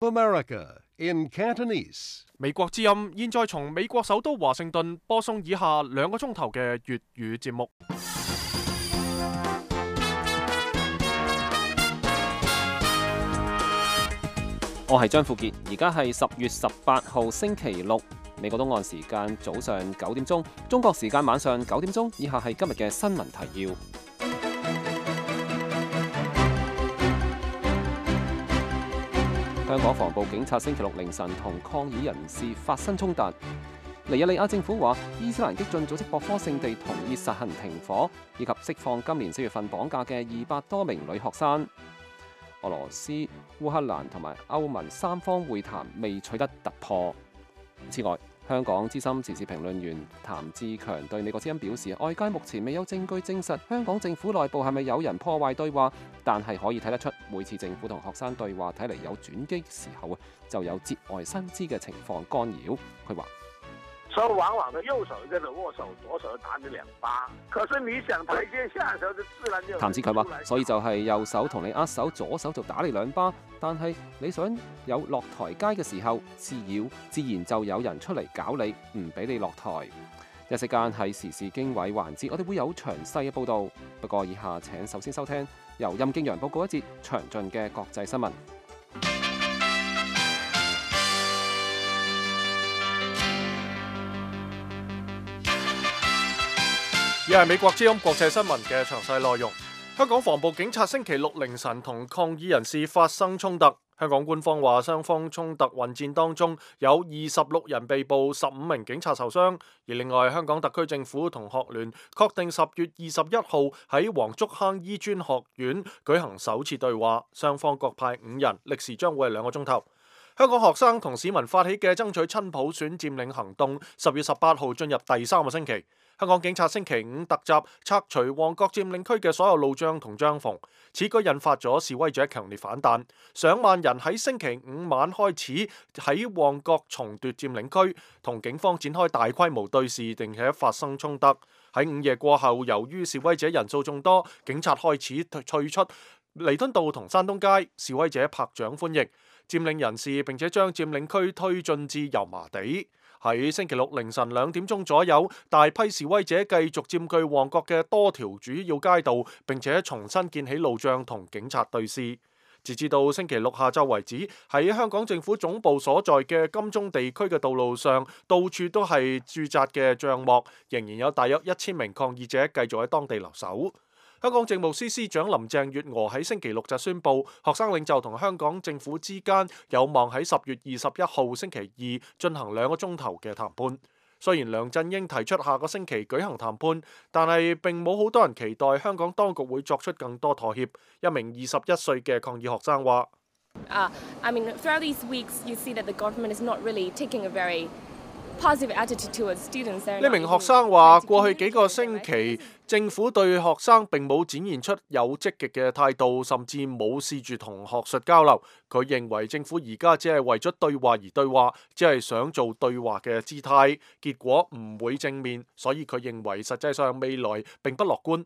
America in Cantonese. 美國之音現在從美國首都華盛頓播送以下2個鐘頭嘅粵語節目。我係張富傑，而家係10月18號星期六，美國東岸時間早上9點鐘，中國時間晚上9點鐘。以下係今日嘅新聞提要。香港防暴警察星期六凌晨同抗議人士發生衝突。尼日利亞政府話，伊斯蘭激進組織博科聖地同意實行停火，以及釋放今年4月份綁架嘅200多名女學生。俄羅斯、烏克蘭同埋歐盟3方會談未取得突破。此外，香港資深時事評論員譚志強對美國之音表示，外界目前未有證據證實香港政府內部係咪有人破壞對話，但係可以睇得出，每次政府同學生對話睇嚟有轉機時候就有節外生枝嘅情況干擾。佢話：所以往往的右手跟着握手，左手打你2巴。可是你想台階下嘅時候，就自然就。譚志強話：所以就係右手同你握手，左手就打你2巴。但係你想有落台階嘅時候，自然就有人出嚟搞你，唔俾你落台。一息間係時事經緯環節，我哋會有詳細嘅報導。不過以下請首先收聽由任敬陽報告一節詳盡嘅國際新聞。以下係美國之音國際新聞嘅詳細內容。香港防暴警察星期六凌晨同抗議人士發生衝突。香港官方話，雙方衝突混戰當中有26人被捕，15名警察受傷。而另外，香港特區政府同學聯確定10月21號喺黃竹坑醫專學院舉行首次對話，雙方各派5人，歷時將會係2個鐘頭。香港學生同市民發起嘅爭取親普選佔領行動10月18號進入第3個星期。香港警察星期5突襲拆除旺角佔領區嘅所有路障同帳篷，此舉引發咗示威者強烈反彈，上萬人喺星期5晚開始喺旺角重奪佔領區，同警方展開大規模對峙，並且發生衝突。喺午夜過後，由於示威者人數眾多，警察開始退出彌敦道同山東街，示威者拍掌歡迎佔領人士，並且將佔領區推進至油麻地。喺星期六凌晨2點鐘左右，大批示威者繼續佔據旺角嘅多條主要街道，並且重新建起路障同警察對峙。截至到星期六下晝為止，喺香港政府總部所在嘅金鐘地區嘅道路上，到處都係駐紮嘅帳幕，仍然有大約1000名抗議者繼續喺當地留守。香港政務司司長林鄭月娥喺星期六就宣布，學生領袖同香港政府之間有望喺10月21號星期二進行2個鐘頭嘅談判。雖然梁振英提出下個星期舉行談判，但係並冇好多人期待香港當局會作出更多妥協。一名21歲嘅抗議學生話：throughout these weeks, you see that the government is not really taking a very positive attitude towards students. 呢名學生話：過去幾個星期，政府對學生並冇展現出有積極嘅態度，甚至冇試住同學術交流。佢認為政府而家只係為咗對話而對話，只係想做對話嘅姿態，結果唔會正面，所以佢認為實際上未來並不樂觀。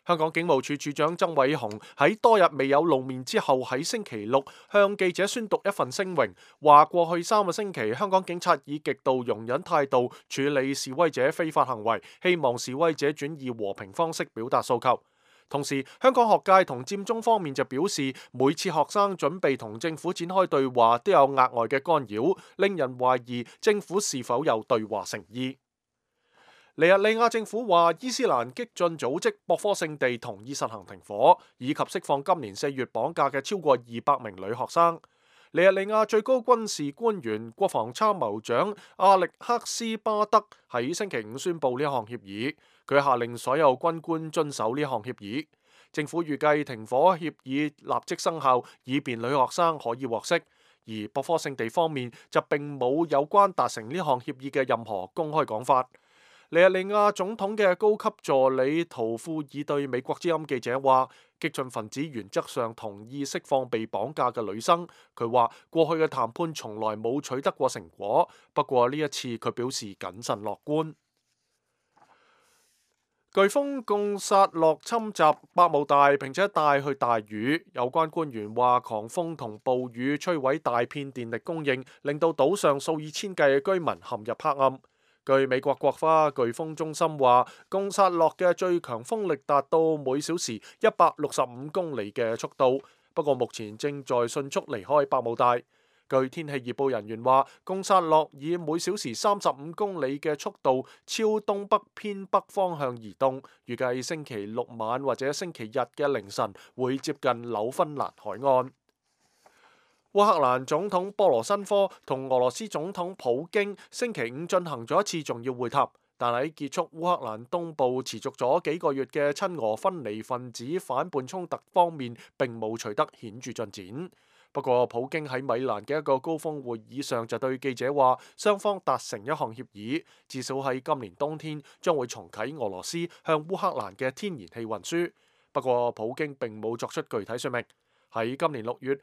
香港警務處處長曾偉雄喺多日未有露面之後，喺星期六向記者宣讀一份聲明，話過去3個星期香港警察以極度容忍態度處理示威者非法行為，希望示威者轉以和平方式表達訴求。同時，香港學界同佔中方面就表示，每次學生準備同政府展開對話都有額外嘅干擾，令人懷疑政府是否有對話誠意。尼日利亞政府話，伊斯蘭激進組織博科聖地同意實行停火，以及釋放今年4月綁架嘅超過200名女學生。尼日利亞最高軍事官員、國防參謀長阿力克斯巴德喺星期5宣布呢項協議，佢下令所有軍官遵守呢項協議。政府預計停火協議立即生效，以便女學生可以獲釋。而博科聖地方面就並冇有關達成呢項協議嘅任何公開講法。尼日利亞總統嘅高級助理圖庫爾對美國之音記者話：激進分子原則上同意釋放被綁架嘅女生。佢話過去嘅談判從來冇取得過成果，不過呢一次佢表示謹慎樂觀。颶風貢薩洛侵襲百慕大，並且帶去大雨。有關官員話，狂風同暴雨摧毀大片電力供應，令到島上數以千計嘅居民陷入黑暗。據美國國家颶風中心話，貢薩洛嘅最強風力達到每小時165公里嘅速度，不過目前正在迅速離開百慕大。據天氣預報人員話，貢薩洛以每小時35公里嘅速度朝東北偏北方向移動，預計星期六晚或者星期日嘅凌晨會接近紐芬蘭海岸。烏克蘭總統波羅申科同俄羅斯總統普京星期五進行咗一次重要會談，但喺結束烏克蘭東部持續咗幾個月嘅親俄分離分子反叛衝突方面並冇取得顯著進展。不過，普京喺米蘭嘅一個高峰會議上就對記者話，雙方達成一項協議，至少喺今年冬天將會重啟俄羅斯向烏克蘭嘅天然氣運輸。不過，普京並冇作出具體說明。喺今年6月，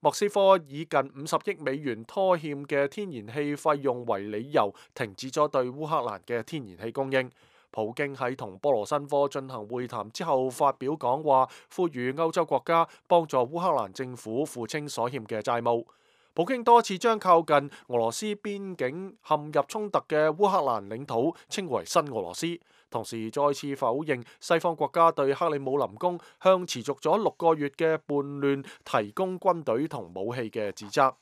莫斯科以近50億美元拖欠嘅天然氣費用為理由，停止咗對烏克蘭嘅天然氣供應。普京喺同波羅申科進行會談之後發表講話，呼籲歐洲國家幫助烏克蘭政府付清所欠嘅債務。普京多次將靠近俄羅斯邊境陷入衝突嘅烏克蘭領土稱為新俄羅斯，同時再次否認西方國家對克里姆林宮向持續咗6個月嘅叛亂提供軍隊同武器嘅指責。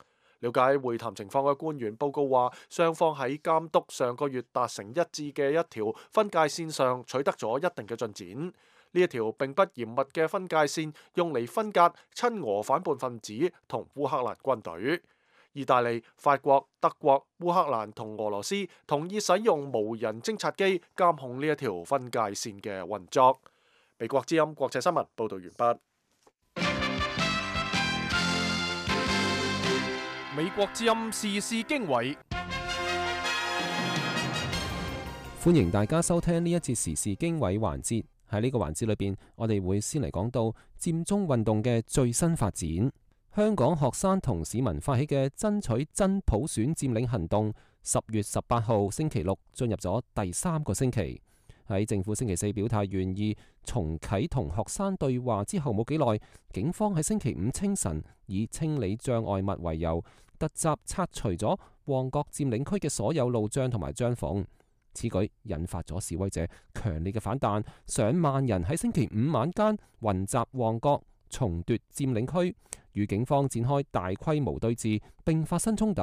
了解會談情況嘅官員報告話，雙方喺監督上個月達成一致嘅一條分界線上取得咗一定嘅進展。呢一條並不嚴密嘅分界線用嚟分隔親俄反叛分子同烏克蘭軍隊。意大利、法國、德國、烏克蘭同俄羅斯同意使用無人偵察機監控呢一條分界線嘅運作。美國之音國際新聞報道完畢。美國之音時事經緯，歡迎大家收聽呢一節時事經緯環節。喺呢個環節裏邊，我哋會先嚟講到佔中運動嘅最新發展。香港學生同市民發起嘅爭取真普選佔領行動，10月18號星期六進入咗第3個星期。喺政府星期4表態願意重啟同學生對話之後冇幾耐，警方喺星期5清晨以清理障礙物為由，突襲拆除咗旺角佔領區嘅所有路障同埋帳篷。此舉引發咗示威者強烈嘅反彈，上萬人喺星期5晚間雲集旺角，重奪佔領區，與警方展開大規模對峙，並發生衝突。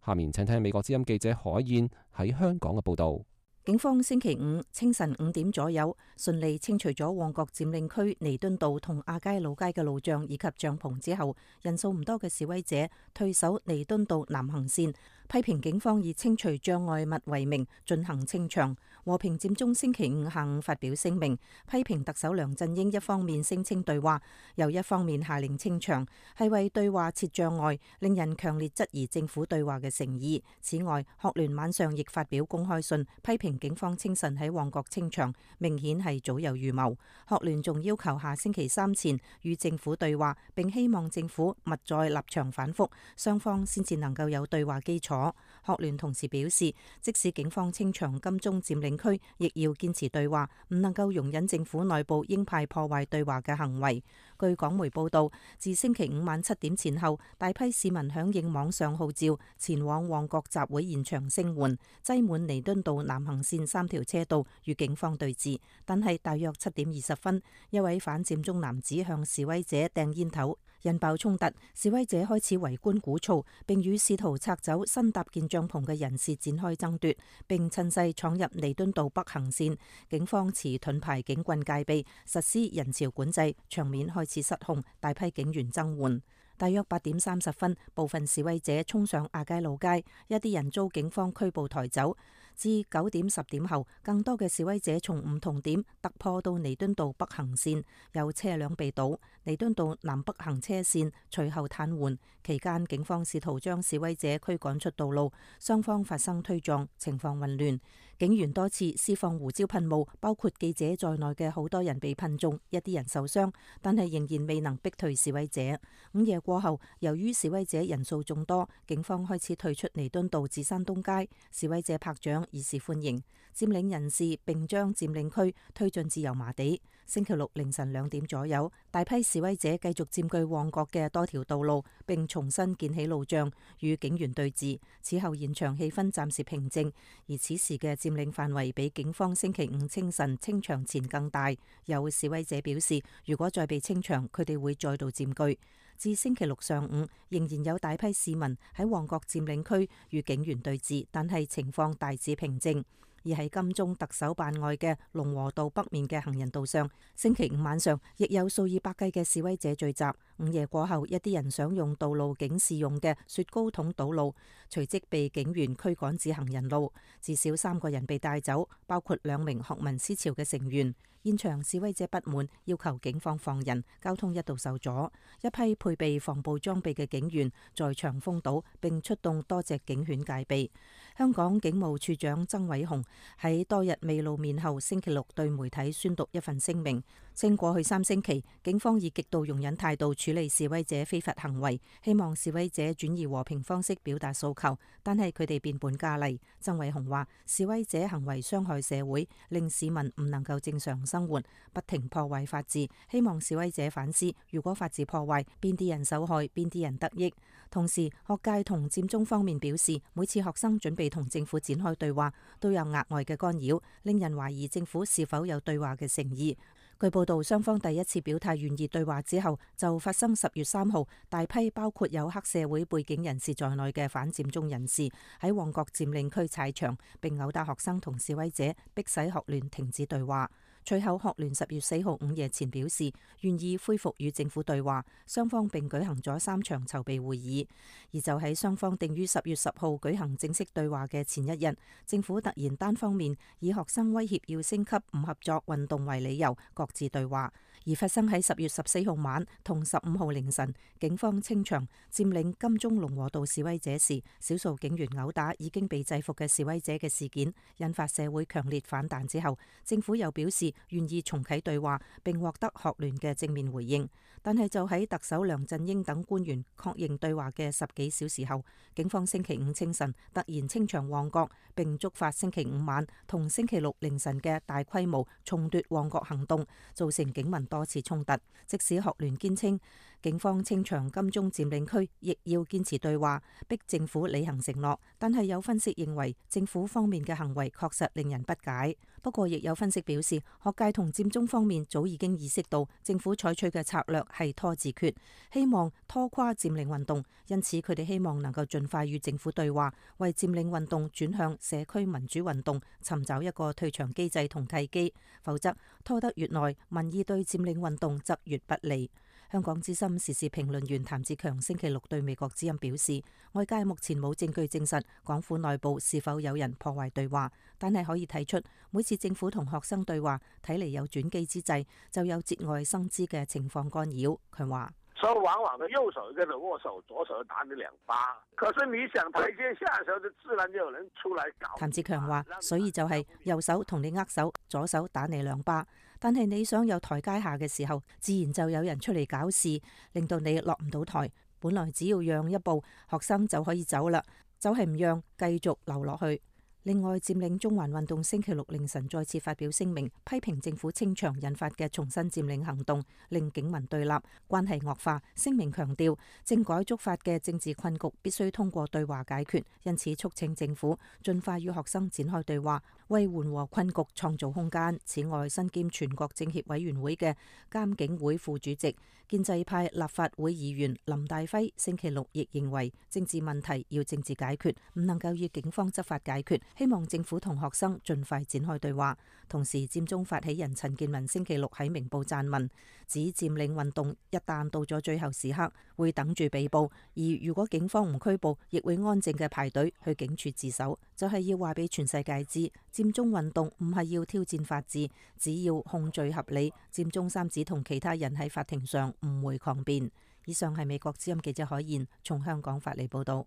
下面請聽美國之音記者海燕喺香港嘅報道。警方星期5清晨5點左右，順利清除咗旺角佔領區彌敦道同亞皆老街嘅路障以及帳篷之後，人數唔多嘅示威者退守彌敦道南行線，批評警方以清除障礙物為名進行清場。和平佔中星期5下午發表聲明，批評特首梁振英一方面聲稱對話，又一方面下令清場，係為對話設障礙，令人強烈質疑政府對話嘅誠意。此外，學聯晚上亦發表公開信，批評警方清晨喺旺角清場，明顯係早有預謀。學聯仲要求下星期3前與政府對話，並希望政府勿再立場反覆，雙方先至能夠有對話基礎。學聯同時表示，即使警方清場金鐘佔領區，亦要堅持對話，唔能夠容忍政府內部鷹派破壞對話嘅行為。據港媒報道，自星期5晚7點前後，大批市民響應網上號召，前往旺角集會現場聲援，擠滿彌敦道南行線3條車道與警方對峙。但係大約7點20分，一位反佔中男子向示威者掟煙頭，引爆衝突，示威者開始圍觀鼓噪，並與試圖拆走新搭建帳篷嘅人士展開爭奪，並趁勢闖入彌敦道北行線。警方持盾牌警棍戒備，實施人潮管制，場面開始失控，大批警員增援。大約8點30分，部分示威者衝上亞皆老街，一啲人遭警方拘捕抬走。至9點10點後，更多嘅示威者從唔同點突破到彌敦道北行線，有車輛被堵，彌敦道南北行車線隨後癱瘓。期間，警方試圖將示威者驅趕出道路，雙方發生推撞，情況混亂。警員多次施放胡椒噴霧，包括記者在內嘅好多人被噴中，一啲人受傷，但係仍然未能逼退示威者。午夜過後，由於示威者人數眾多，警方開始退出彌敦道至山東街，示威者拍掌以示歡迎。佔領人士並將佔領區推進至油麻地。星期六凌晨2點左右，大批示威者繼續佔據旺角嘅多條道路，並重新建起路障與警員對峙。此後現場氣氛暫時平靜，而此時嘅佔領範圍比警方星期五清晨清場前更大。有示威者表示，如果再被清場，佢哋會再度佔據。至星期六上午，仍然有大批市民喺旺角佔領區與警員對峙，但係情況大致平靜。而喺金鐘特首辦外嘅龍和道北面嘅行人道上，星期五晚上亦有數以百計嘅示威者聚集。午夜過後，一啲人想用道路警示用嘅雪糕筒堵路，隨即被警員驅趕至行人路。至少3個人被帶走，包括2名學民思潮嘅成員。現場示威者不滿，要求警方放人，交通一度受阻。一批配備防暴裝備嘅警員在場封堵，並出動多隻警犬戒備。香港警務處長曾偉雄喺多日未露面後，星期六對媒體宣讀一份聲明，稱過去3星期，警方以極度容忍態度處理示威者非法行為，希望示威者轉移和平方式表達訴求，但係佢哋變本加厲。曾偉雄話：示威者行為傷害社會，令市民唔能夠正常生活，不停破壞法治，希望示威者反思，如果法治破壞，邊啲人受害，邊啲人得益。同時，學界同佔中方面表示，每次學生準備同政府展開對話，都有額外嘅干擾，令人懷疑政府是否有對話嘅誠意。據報道，雙方第一次表態願意對話之後，就發生10月3號大批包括有黑社會背景人士在內嘅反佔中人士喺旺角佔領區踩場，並毆打學生同示威者，迫使學聯停止對話。隨後，學聯10月4號午夜前表示願意恢復與政府對話，雙方並舉行咗3場籌備會議。而就喺雙方定於10月10號舉行正式對話嘅前一日，政府突然單方面以學生威脅要升級唔合作運動為理由，各自對話。而發生喺10月14號晚同15號凌晨，警方清場佔領金鐘龍和道示威者時，少數警員毆打已經被制服嘅示威者嘅事件，引發社會強烈反彈之後，政府又表示願意重啟對話，並獲得學聯嘅正面回應。但係就喺特首梁振英等官員確認對話嘅10幾小時後，警方星期五清晨突然清場旺角，並觸發星期五晚同星期六凌晨嘅大規模重奪旺角行動，造成警民多次衝突。即使學聯堅稱警方清場金鐘佔領區，亦要堅持對話，逼政府履行承諾。但係有分析認為，政府方面嘅行為確實令人不解。不過，亦有分析表示，學界同佔中方面早已經意識到政府採取嘅策略係拖字訣，希望拖垮佔領運動，因此佢哋希望能夠盡快與政府對話，為佔領運動轉向社區民主運動尋找一個退場機制同契機，否則拖得越耐，民意對佔領運動則越不利。香港資深時事評論員譚志強星期六對美國之音表示，外界目前冇證據證實港府內部是否有人破壞對話，但係可以睇出每次政府同學生對話，睇嚟有轉機之際，就有節外生枝嘅情況干擾。佢話：所以往往的右手跟着握手，左手打你2巴。可是你想台階下的時候，就自然就有人出來搞。譚志強話：所以就係右手同你握手，左手打你2巴。但係你想有台階下嘅時候，自然就有人出嚟搞事，令到你落唔到台。本來只要讓一步，學生就可以走啦，就係唔讓，繼續留落去。另外，佔領中環運動星期六凌晨再次發表聲明，批評政府清場引發嘅重新佔領行動，令警民對立，關係惡化。聲明強調，政改觸發嘅政治困局必須通過對話解決，因此促請政府盡快與學生展開對話，為緩和困局創造空間。此外，身兼全國政協委員會嘅監警會副主席、建制派立法會議員林大輝星期六亦認為，政治問題要政治解決，唔能夠以警方執法解決。希望政府同學生盡快展開對話。同時，佔中發起人陳健民星期六喺明報撰文，指佔領運動一旦到咗最後時刻，會等住被捕，而如果警方唔拘捕，亦會安靜嘅排隊去警署自首，就係要話俾全世界知，佔中運動唔係要挑戰法治，只要控罪合理，佔中三子同其他人喺法庭上唔會抗辯。以上係美國之音記者海燕從香港發嚟報道。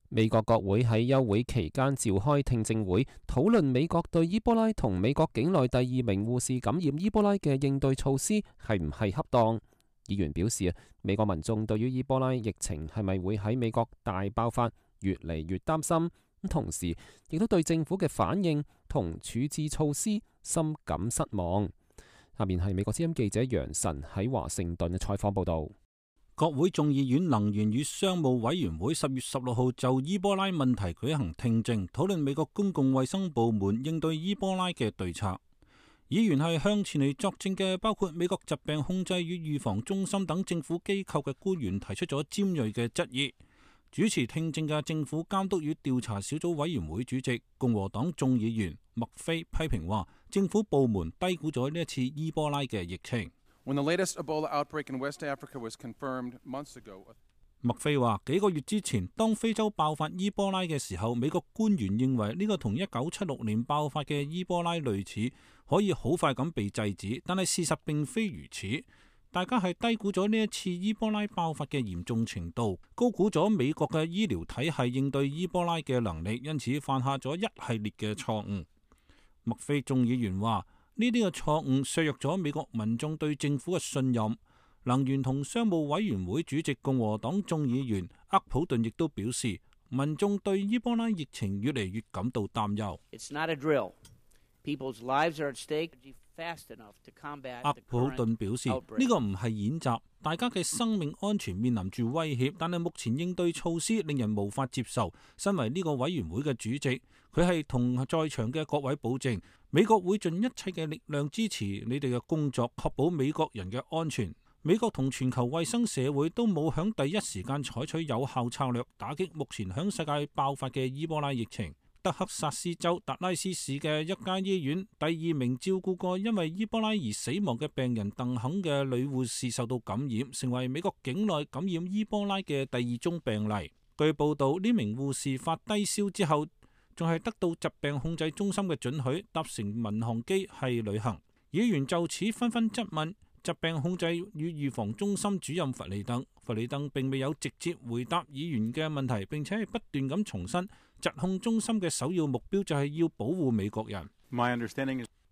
美國國會喺休會期間召開聽證會，討論美國對伊波拉同美國境內第2名護士感染伊波拉嘅應對措施係唔係恰當。議員表示，美國民眾對於伊波拉疫情係咪會喺美國大爆發越嚟越擔心，同時亦都對政府嘅反應同處置措施深感失望。下面係美國之音記者楊晨喺華盛頓嘅採訪報導。國會眾議院能源與商務委員會10月16號就伊波拉問題舉行聽證，討論美國公共衛生部門應對伊波拉嘅對策。議員係向前嚟作證嘅，包括美國疾病控制與預防中心等政府機構嘅官員提出咗尖銳嘅質疑。主持聽證嘅政府監督與調查小組委員會主席共和黨眾議員麥菲批評話，政府部門低估咗呢一次伊波拉嘅疫情。麥菲話，幾個月之前，當非洲爆發伊波拉嘅時候，美國官員認為呢個同1976年爆發嘅伊波拉類似，可以好快咁被制止，但係事實並非如此。大家係低估咗呢一次伊波拉爆發嘅嚴重程度，高估咗美國嘅醫療體系應對伊波拉嘅能力，因此犯下咗一系列嘅錯誤。麥菲眾議員話，呢啲嘅錯誤削弱咗美國民眾對政府嘅信任。能源同商務委員會主席共和黨眾議員厄普頓亦都表示，民眾對伊波拉疫情越嚟越感到擔憂。厄普頓表示，呢個唔係演習，大家嘅生命安全面臨住威脅，但係目前應對措施令人無法接受。身為呢個委員會嘅主席，佢係同在場嘅各位保證，美國會盡一切嘅力量支持你哋嘅工作，確保美國人嘅安全。美國同全球衛生社會都冇響第一時間採取有效策略打擊目前響世界爆發嘅伊波拉疫情。德克薩斯州達拉斯市嘅一間醫院第2名照顧過因為伊波拉而死亡嘅病人鄧肯嘅女護士受到感染，成為美國境內感染伊波拉嘅第2宗病例。據報道，呢名護士發低燒之後，仲係得到疾病控制中心嘅准許，搭乘民航機係旅行。議員就此紛紛質問疾病控制與預防中心主任弗里登。弗里登並未有直接回答議員嘅問題，並且係不斷咁重申疾控中心嘅首要目標就係要保護美國人。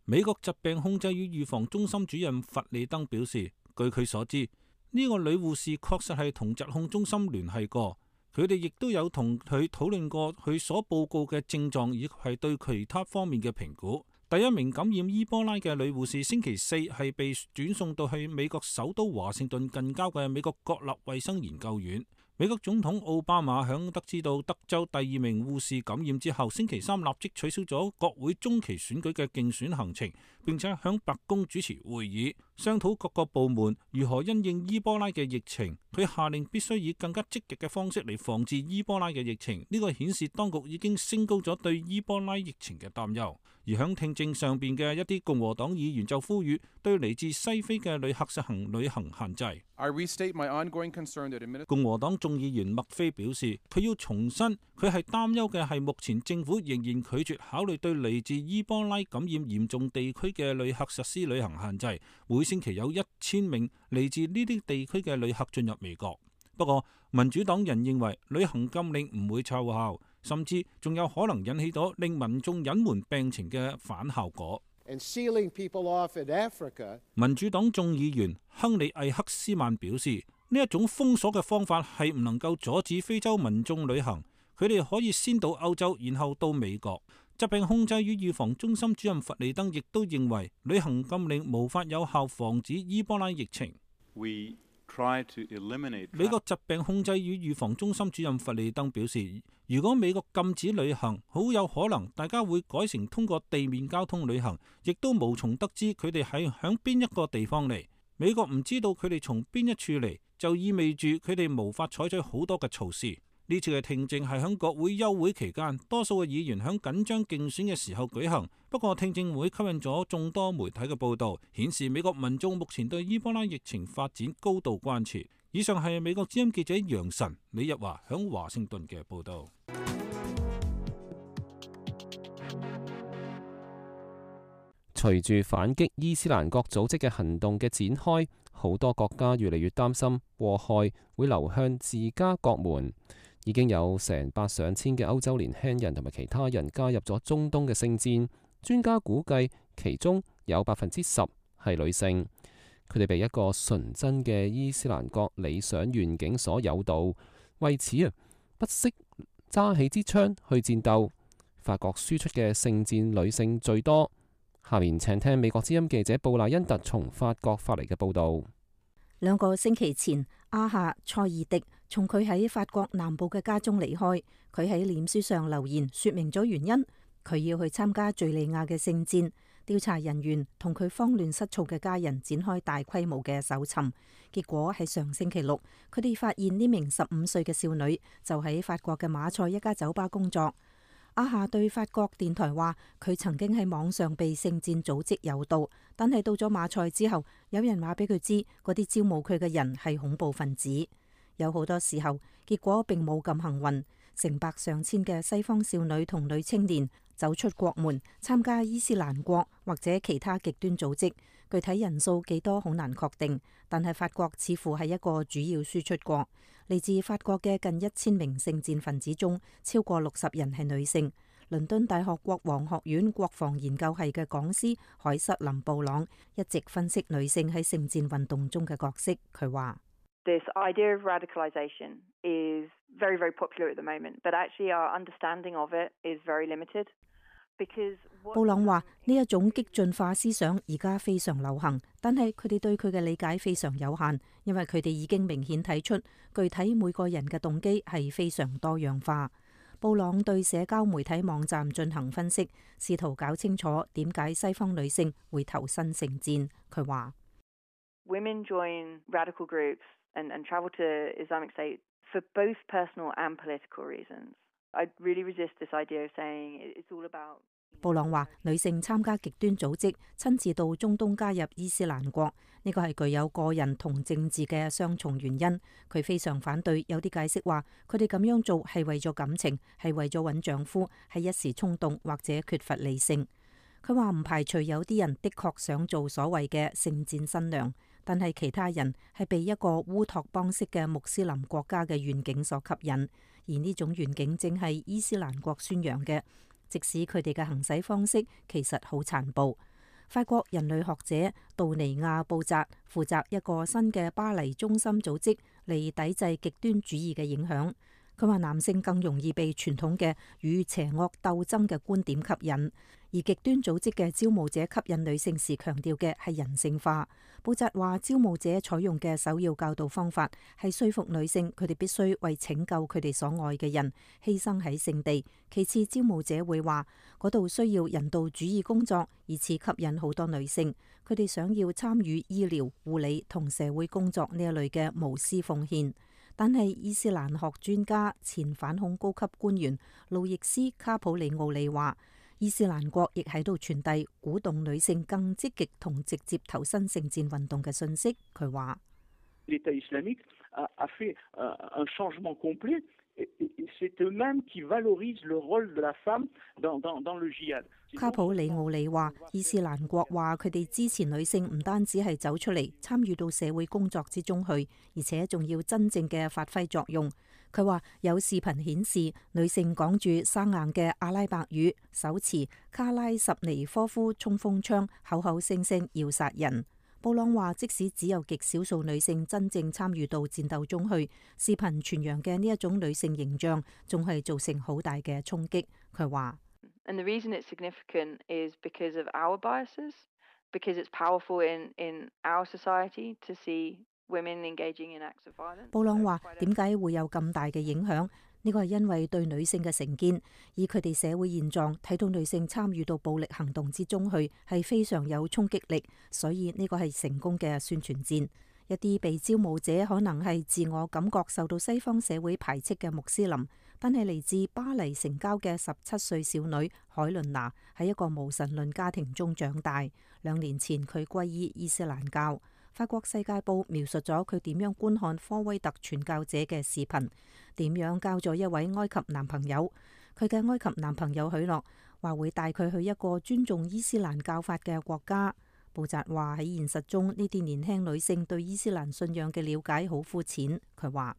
美國疾病控制與預防中心主任弗里登表示，據佢所知，呢個女護士確實係同疾控中心聯繫過，佢哋亦都有同佢討論過佢所報告嘅症狀以及係對其他方面嘅評估。第1名感染伊波拉嘅女護士星期4係被轉送到去美國首都華盛頓近郊嘅美國國立衛生研究院。美國總統奧巴馬響得知到德州第2名護士感染之後，星期3立即取消咗國會中期選舉嘅競選行程，並且響白宮主持會議，商討各個部門如何因應伊波拉嘅疫情。佢下令必須以更加積極嘅方式嚟防治伊波拉嘅疫情。呢個顯示當局已經升高咗對伊波拉疫情嘅擔憂。而響聽證上邊嘅一啲共和黨議員就呼籲對嚟自西非嘅旅客實行旅行限制。共和黨眾議員麥菲表示，佢要重申佢係擔憂嘅係目前政府仍然拒絕考慮對嚟自伊波拉感染嚴重地區嘅旅客實施旅行限制。每星期有1000名嚟自呢啲地區嘅旅客進入美國。不過民主黨人認為旅行禁令唔會奏效，甚至仲有可能引起到令民眾隱瞞病情嘅反效果。民主黨眾議員亨利艾克斯曼表示，呢一種封鎖嘅方法係唔能夠阻止非洲民眾旅行，佢哋可以先到歐洲，然後到美國。疾病控制與預防中心主任弗里登亦都認為旅行禁令無法有效防止伊波拉疫情。美國疾病控制與預防中心主任弗里登表示，如果美國禁止旅行，好有可能大家會改成通過地面交通旅行，亦都無從得知佢哋係響邊一個地方嚟。美國唔知道佢哋從邊一處嚟，就意味住佢哋無法採取好多嘅措施。呢次嘅聽證係響國會休會期間，多數嘅議員響緊張競選嘅時候舉行。不過聽證會吸引咗眾多媒體嘅報道，顯示美國民眾目前對伊波拉疫情發展高度關切。以上係美國之音記者楊晨、李日華響華盛頓嘅報道。隨住反擊伊斯蘭國組織嘅行動嘅展開，好多國家越嚟越擔心禍害會流向自家國門。已經有成百上千嘅歐洲年輕人同埋其他人加入咗中東嘅聖戰，專家估計其中有10%係女性。佢哋被一個純真嘅伊斯蘭國理想願景所誘導，為此不惜揸起支槍去戰鬥。法國輸出嘅聖戰女性最多。下面請聽美國之音記者布賴恩特從法國發嚟嘅報導。2個星期前，阿夏塞爾迪從佢喺法國南部嘅家中離開。佢喺臉書上留言，說明咗原因。佢要去參加敘利亞嘅聖戰。調查人員同佢慌亂失措嘅家人展開大規模嘅搜尋。結果喺上星期六，佢哋發現呢名15歲嘅少女就喺法國嘅馬賽一家酒吧工作。阿夏對法國電台話，佢曾經喺網上被聖戰組織誘導，但係到咗馬賽之後，有人話俾佢知嗰啲招募佢嘅人係恐怖分子。有好多時候，結果並冇咁幸運。成百上千嘅西方少女同女青年走出國門，參加伊斯蘭國或者其他極端組織。具體人數幾多好難確定，但係法國似乎係一個主要輸出國。嚟自法國嘅近1000名聖戰分子中，超過60人係女性。倫敦大學國王學院國防研究系嘅講師凱瑟琳布朗一直分析女性喺聖戰運動中嘅角色。佢話：This idea of radicalization is very, very popular at the moment, but actually our understanding of it is very limited. 布朗話：呢一種激進化思想而家非常流行，但係佢哋對佢嘅理解非常有限，因為佢哋已經明顯睇出具體每個人嘅動機係非常多樣化。布朗對社交媒體網站進行分析，試圖搞清楚點解西方女性會投身聖戰。佢話：Women join radical groups and travel to Islamic State for both personal and political reasons. I really resist this idea of saying it's all about。布朗話：女性參加極端組織，親自到中東加入伊斯蘭國，呢個係具有個人同政治嘅雙重原因。佢非常反對有啲解釋話，佢哋咁樣做係為咗感情，係為咗揾丈夫，係一時衝動或者缺乏理性。佢話唔排除有啲人的確想做所謂嘅聖戰新娘，但係其他人係被一個烏托邦式嘅穆斯林國家嘅願景所吸引。而呢種願景正係伊斯蘭國宣揚嘅，即使佢哋嘅行使方式其實好殘暴。法國人類學者杜尼亞布扎負責一個新嘅巴黎中心組織嚟抵制極端主義嘅影響。佢話男性更容易被傳統嘅與邪惡鬥爭嘅觀點吸引，而極端組織嘅招募者吸引女性時強調嘅係人性化。布扎話，招募者採用嘅首要教導方法係說服女性佢哋必須為拯救佢哋所愛嘅人犧牲喺聖地。其次，招募者會話嗰度需要人道主義工作，以此吸引好多女性。佢哋想要參與醫療、護理同社會工作呢一類嘅無私奉獻。但係伊斯蘭學專家、前反恐高級官員路易斯卡普里奧利話，伊斯蘭國亦喺度傳遞鼓動女性更積極同直接投身聖戰運動嘅信息。佢話卡普里奧里話，伊斯蘭國話佢哋支持女性唔單止係走出嚟參與到社會工作之中去，而且仲要真正嘅發揮作用。佢話有視頻顯示女性講住生硬嘅阿拉伯語，手持卡拉什尼科夫衝鋒槍，口口聲聲要殺人。布朗話，即使只有極少數女性真正參與到戰鬥中去，視頻傳揚嘅呢一種女性形象仲係造成好大嘅衝擊。佢話：And the reason it's significant is because of our biases, because it's powerful in our society to see women engaging in acts of violence。布朗話：點解會有咁大嘅影響？呢個係因為對女性嘅成見，以佢哋社會現狀睇到女性參與到暴力行動之中去，係非常有衝擊力，所以呢個係成功嘅宣傳戰。一啲被招募者可能係自我感覺受到西方社會排斥嘅穆斯林，但係嚟自巴黎城郊嘅17歲少女海倫娜喺一個無神論家庭中長大。2年前佢歸依伊斯蘭教。法國世界報描述咗佢點樣觀看科威特傳教者嘅視頻，點樣交咗一位埃及男朋友。佢嘅埃及男朋友許諾話會帶佢去一個尊重伊斯蘭教法嘅國家。布扎話喺現實中呢啲年輕女性對伊斯蘭信仰嘅了解好膚淺。佢話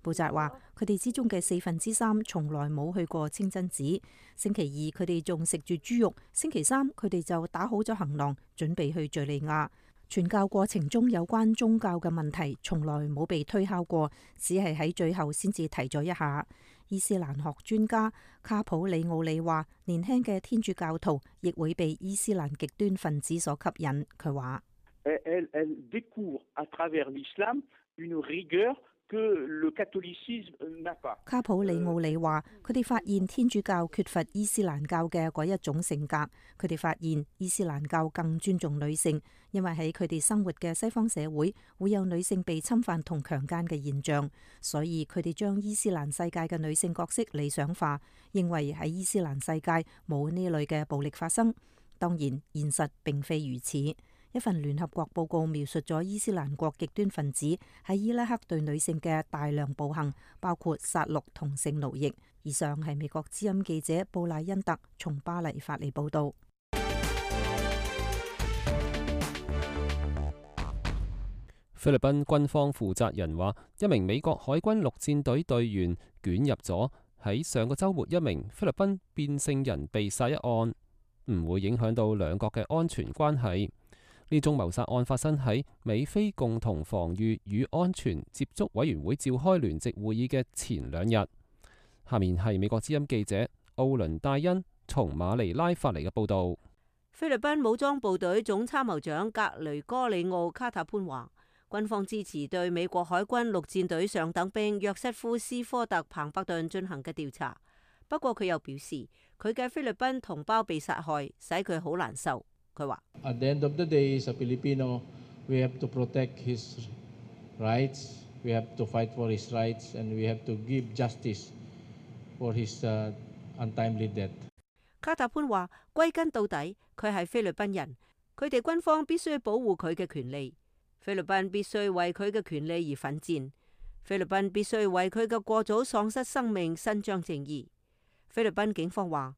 布扎話：佢哋之中嘅3/4從來冇去過清真寺。星期二佢哋仲食住豬肉，星期三佢哋就打好咗行囊，準備去敘利亞。傳教過程中有關宗教嘅問題從來冇被推敲過，只係喺最後先至提咗一下。伊斯蘭學專家卡普里奧利話：年輕嘅天主教徒亦會被伊斯蘭極端分子所吸引。佢話：卡普里奧利話：佢哋發現天主教缺乏伊斯蘭教嘅嗰一種性格。佢哋發現伊斯蘭教更尊重女性，因為喺佢哋生活嘅西方社會會有女性被侵犯同強姦嘅現象，所以佢哋將伊斯蘭世界嘅女性角色理想化，認為喺伊斯蘭世界冇呢類嘅暴力發生。當然，現實並非如此。一份聯合國報告描述咗伊斯蘭國極端分子喺伊拉克對女性嘅大量暴行，包括殺戮同性奴役。以上係美國之音記者布賴恩特從巴黎發嚟報道。菲律賓軍方負責人話，一名美國海軍陸戰隊隊員捲入咗喺上個週末一名菲律賓變性人被殺一案，唔會影響到兩國嘅安全關係。呢宗謀殺案發生喺美菲共同防禦與安全接觸委員會召開聯席會議嘅前2日。下面係美國之音記者奧倫戴恩從馬尼拉發嚟嘅報導。菲律賓武裝部隊總參謀長格雷戈里奧卡塔潘話，軍方支持對美國海軍陸戰隊上等兵約瑟夫斯科特彭伯頓進行嘅調查。不過佢又表示，佢嘅菲律賓同胞被殺害，使佢好難受。佢話：At the end of the day, as a Filipino, we have to protect his rights, we have to fight for his rights, and we have to give justice for his untimely death。卡塔潘話：歸根到底，佢係菲律賓人，佢哋軍方必須保護佢嘅權利。菲律賓必須為佢嘅權利而奮戰，菲律賓必須為佢嘅過早喪失生命伸張正義。菲律賓警方話，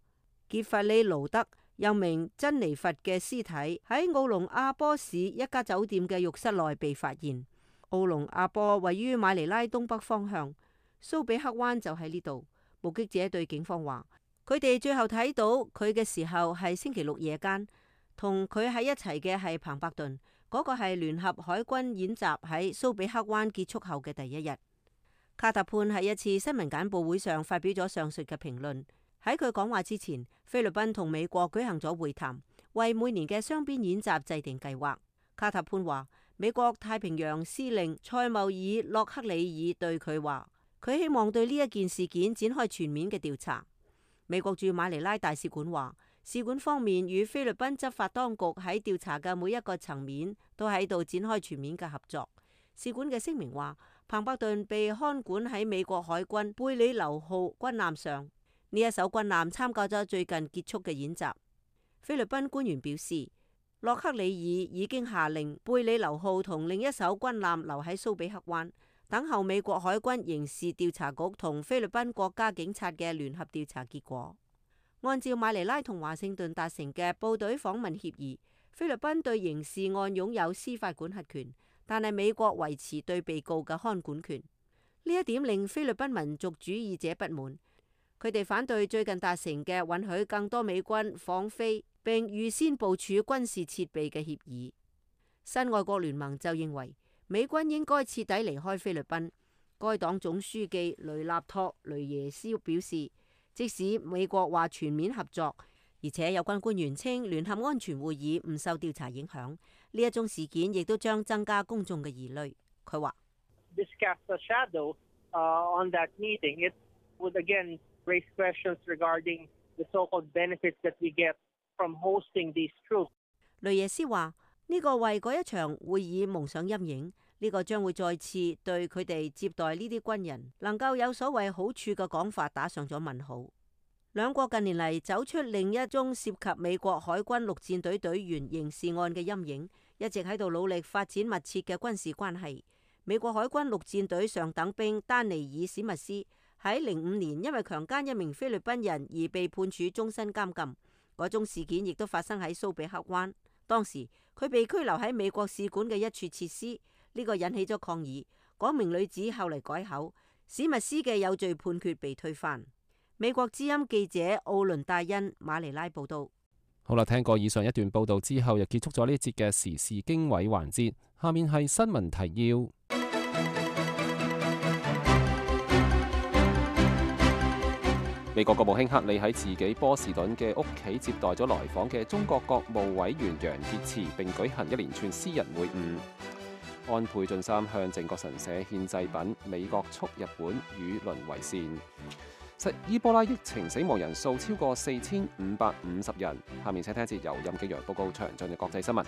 傑弗里盧德又名珍妮佛嘅屍體喺奧隆阿波市一家酒店嘅浴室內被發現。奧隆阿波位於馬尼拉東北方向，蘇比克灣就喺呢度。目擊者對警方話，佢哋最後睇到佢嘅時候係星期六夜間，同佢喺一齊嘅係彭伯頓，嗰個係聯合海軍演習喺蘇比克灣結束後嘅第一日。卡塔潘喺一次新聞簡報會上發表咗上述嘅評論。喺佢講話之前，菲律賓同美國舉行咗會談，為每年嘅雙邊演習制定計劃。卡塔潘話，美國太平洋司令塞繆爾洛克里爾對佢話，佢希望對呢一件事件展開全面嘅調查。美國駐馬尼拉大使館話，使館方面與菲律賓執法當局喺調查嘅每一個層面都喺度展開全面嘅合作。使館嘅聲明話，彭伯頓被看管喺美國海軍貝里流號軍艦上。呢一艘軍艦參加咗最近結束嘅演習。菲律賓官員表示，洛克里爾已經下令貝里流號同另一艘軍艦留喺蘇比克灣，等候美國海軍刑事調查局同菲律賓國家警察嘅聯合調查結果。按照馬尼拉同華盛頓達成嘅部隊訪問協議，菲律賓對刑事案擁有司法管轄權，但係美國維持對被告嘅看管權。呢一點令菲律賓民族主義者不滿。佢哋反對最近達成嘅允許更多美軍訪菲並預先部署軍事設備嘅協議。新外國聯盟就認為美軍應該徹底離開菲律賓。該黨總書記雷納托雷耶斯表示，即使美國話全面合作，而且有關官員稱聯合安全會議唔受調查影響，呢一宗事件亦都將增加公眾嘅疑慮。佢話raise questions regarding the so-called benefits that we get from hosting these troops. 雷耶斯話：呢個為嗰一場會議蒙上陰影，呢個將會再次對佢哋接待呢啲軍人能夠有所謂好處嘅講法打上咗問號。兩國近年嚟走出另一宗涉及美國海軍陸戰隊隊員刑事案嘅陰影，一直喺度努力發展密切嘅軍事關係。美國海軍陸戰隊上等兵丹尼爾史密斯喺05年因為強姦一名菲律賓人而被判處終身監禁，嗰宗事件亦都發生喺蘇比克灣。當時佢被拘留喺美國使館嘅一處設施，呢個引起咗抗議。嗰名女子後嚟改口，史密斯嘅有罪判決被推翻。美國之音記者奧倫戴恩馬尼拉報道。好啦，聽過以上一段報道之後，又結束咗呢一節嘅時事經緯環節。下面係新聞提要。美國國務卿克里喺自己波士頓嘅屋企接待咗來訪嘅中國國務委員楊潔篪，並舉行一連串私人會晤。安倍晉三向靖國神社獻祭品，美國促日本與鄰為善。伊波拉疫情死亡人數超過4550人。下面請聽一節由任敬陽報告詳盡嘅國際新聞。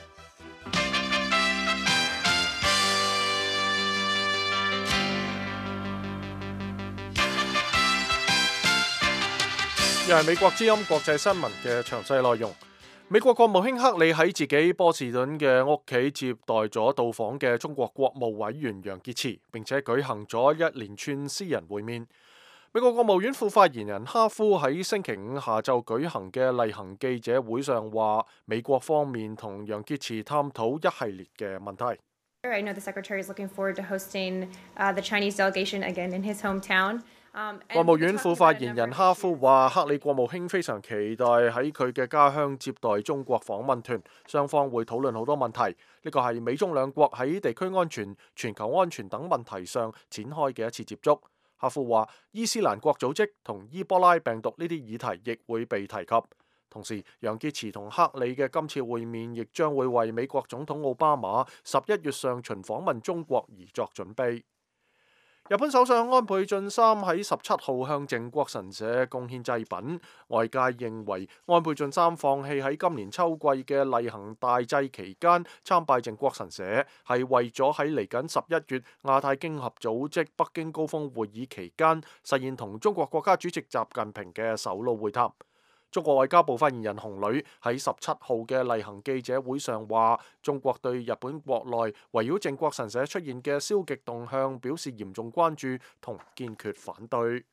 又係美國之音國際新聞嘅詳細內容。美國國務卿克里喺自己波士頓嘅屋企接待咗到訪嘅中國國務委員楊潔篪，並且舉行咗一連串私人會面。美國國務院副發言人哈夫喺星期五下晝舉行嘅例行記者會上話，美國方面同楊潔篪探討一系列嘅問題。I know the Secretary is looking forward to hosting the Chinese delegation again in his hometown. 國務院副發言人哈夫話，克里國務卿非常期待喺佢嘅家鄉接待中國訪問團，雙方會討論好多問題。呢個係美中兩國喺地區安全、全球安全等問題上展開嘅一次接觸。哈夫話，伊斯蘭國組織同伊波拉病毒呢啲議題亦會被提及。同時，楊潔篪同克里嘅今次會面亦將會為美國總統奧巴馬11月上旬訪問中國而作準備。日本首相安倍晉三喺17號向靖國神社貢獻祭品，外界認為安倍晉三放棄喺今年秋季嘅例行大祭期間參拜靖國神社，係為咗喺嚟緊11月亞太經合組織北京高峰會議期間實現同中國國家主席習近平嘅首腦會談。中國外交部發言人洪磊喺17號嘅例行記者會上話，中國對日本國內圍繞靖國神社出現嘅消極動向表示嚴重關注同堅決反對。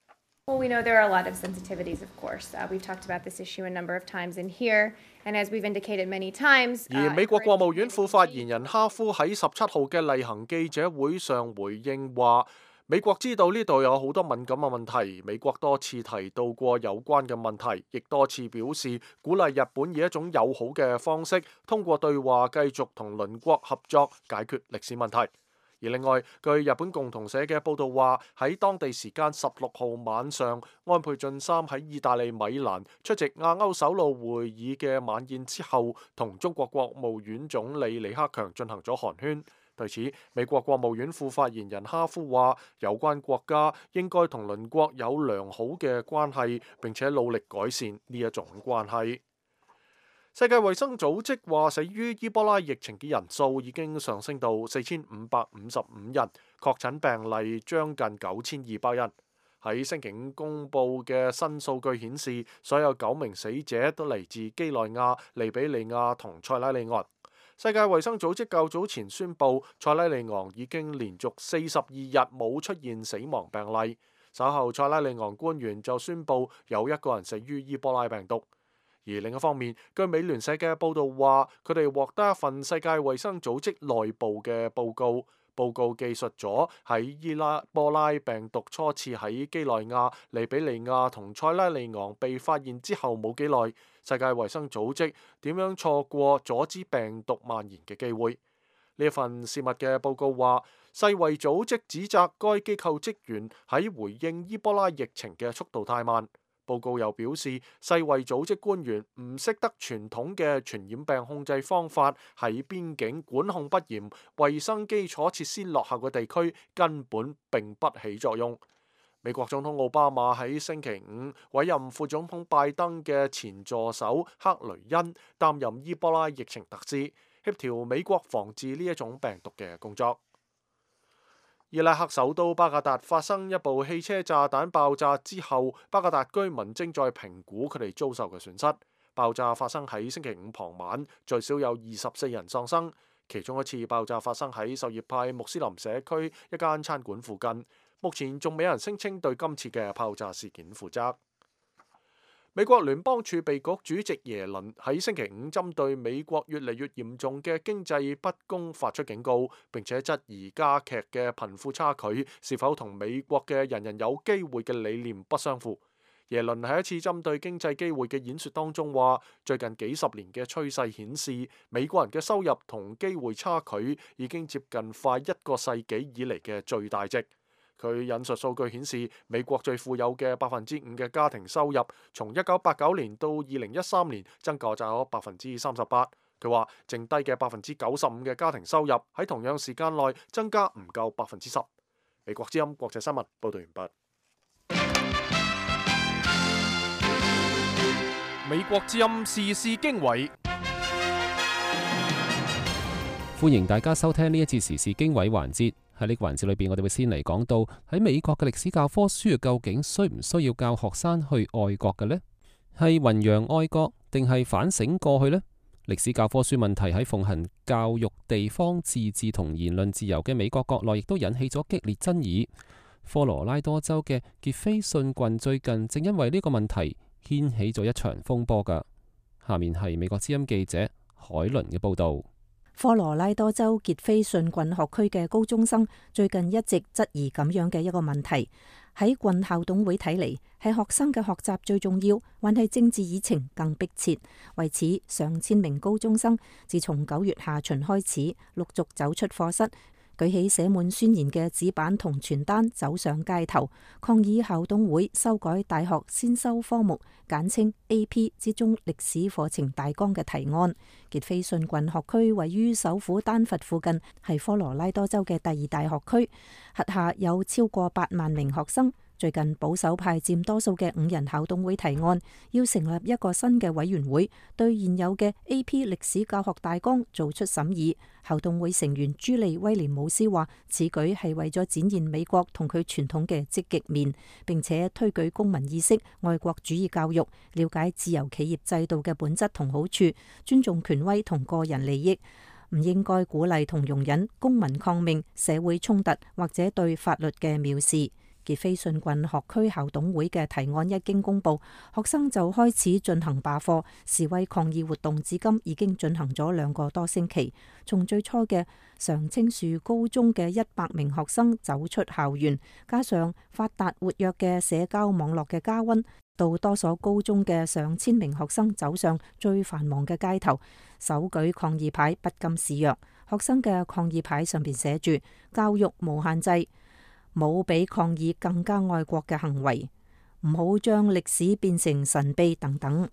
Well, we know there are a lot of sensitivities, of course. We've talked about this issue a number of times in here, and as we've indicated many times. 而美國國務院副發言人哈夫喺17號嘅例行記者會上回應話，美國知道呢度有好多敏感嘅問題，美國多次提到過有關嘅問題，亦多次表示鼓勵日本以一種友好嘅方式，通過對話繼續同鄰國合作解決歷史問題。而另外，據日本共同社嘅報導話，喺當地時間16號晚上，安倍晉三喺意大利米蘭出席亞歐首腦會議嘅晚宴之後，同中國國務院總理李克強進行咗寒暄。對此，美國國務院副發言人哈夫話，有關國家應該同鄰國有良好嘅關係，並且努力改善呢一種關係。世界衛生組織話，死於伊波拉疫情嘅人數已經上升到4555人，確診病例將近9200人。喺星期五公佈嘅新數據顯示，所有9名死者都嚟自基內亞、利比里亞同塞拉利昂。世界衛生組織較早前宣布，塞拉利昂已經連續42日冇出現死亡病例。稍後，塞拉利昂官員就宣布有1個人死於伊波拉病毒。而另一方面，據美聯社嘅報導話，佢哋獲得一份世界衛生組織內部嘅報告。報告記述咗喺伊波拉病毒初次喺基內亞、利比里亞同塞拉利昂被發現之後冇幾耐，世界衛生組織點樣錯過阻止病毒蔓延嘅機會。呢份泄密嘅報告話，世衛組織指責該機構職員喺回應伊波拉疫情嘅速度太慢。報告又表示，世衛組織官員唔識得傳統嘅傳染病控制方法，喺邊境管控不嚴、衛生基礎設施落後嘅地區根本並不起作用。美國總統奧巴馬喺星期五委任副總統拜登嘅前助手克雷恩擔任伊波拉疫情特使，協調美國防治呢一種病毒嘅工作。伊拉克首都巴格達發生一部汽車炸彈爆炸之後，巴格達居民正在評估佢哋遭受嘅損失。爆炸發生喺星期五傍晚，最少有24人喪生。其中一次爆炸發生喺什葉派穆斯林社區一間餐館附近。目前仲未有人聲稱對今次嘅爆炸事件負責。美國聯邦儲備局主席耶倫喺星期五針對美國越嚟越嚴重嘅經濟不公發出警告，並且質疑加劇嘅貧富差距是否同美國嘅人人有機會嘅理念不相符。耶倫喺一次針對經濟機會嘅演說當中話，最近幾十年嘅趨勢顯示，美國人嘅收入同機會差距已經接近快一個世紀以嚟嘅最大值。佢引述數據顯示，美國最富有嘅5%嘅家庭收入，從1989年到2013年增加咗38%。佢話，剩低嘅95%嘅家庭收入喺同樣時間內增加唔夠10%。美國之音國際新聞報道完畢。美國之音時事經緯，歡迎大家收聽呢一節時事經緯環節。喺呢個環節裏邊，我哋會先嚟講到喺美國嘅歷史教科書究竟需唔需要教學生去愛國嘅呢？係弘揚愛國定係反省過去呢？歷史教科書問題喺奉行教育地方自治同言論自由嘅美國國內，亦都引起咗激烈爭議。科羅拉多州嘅傑斐遜郡最近正因為呢個問題掀起咗一場風波㗎。下面係美國之音記者海倫嘅報道。科羅拉多州傑斐遜郡學區嘅高中生最近一直質疑咁樣嘅一個問題，喺郡校董會睇嚟，係學生嘅學習最重要，還係政治議程更迫切？為此，上千名高中生自從9月下旬開始，陸續走出課室，舉起寫滿宣言嘅紙板同傳單，走上街頭，抗議校董會修改大學先修科目簡稱 AP 之中歷史課程大綱嘅提案。傑斐遜郡學區位於首府丹佛附近，係科羅拉多州嘅第2大學區，轄下有超過8萬名學生。最近保守派佔多數嘅5人校董會提案，要成立一個新嘅委員會，對現有嘅 AP 歷史教學大綱做出審議。校董會成員朱莉威廉姆斯話，此舉係為咗展現美國同佢傳統嘅積極面，並且推舉公民意識、愛國主義教育，了解自由企業制度嘅本質同好處，尊重權威同個人利益，唔應該鼓勵同容忍公民抗命、社會衝突或者對法律嘅藐視。傑斐遜郡學區校董會嘅提案一經公佈，學生就開始進行罷課、示威抗議活動，至今已經進行咗2個多星期。從最初嘅常青樹高中嘅100名學生走出校園，加上發達活躍嘅社交網絡嘅加溫，到多所高中嘅上千名學生走上最繁忙嘅街頭，手舉抗議牌，不甘示弱。學生嘅抗議牌上邊寫住：教育無限制。冇比抗議更加愛國嘅行為，唔好將歷史變成神秘等等。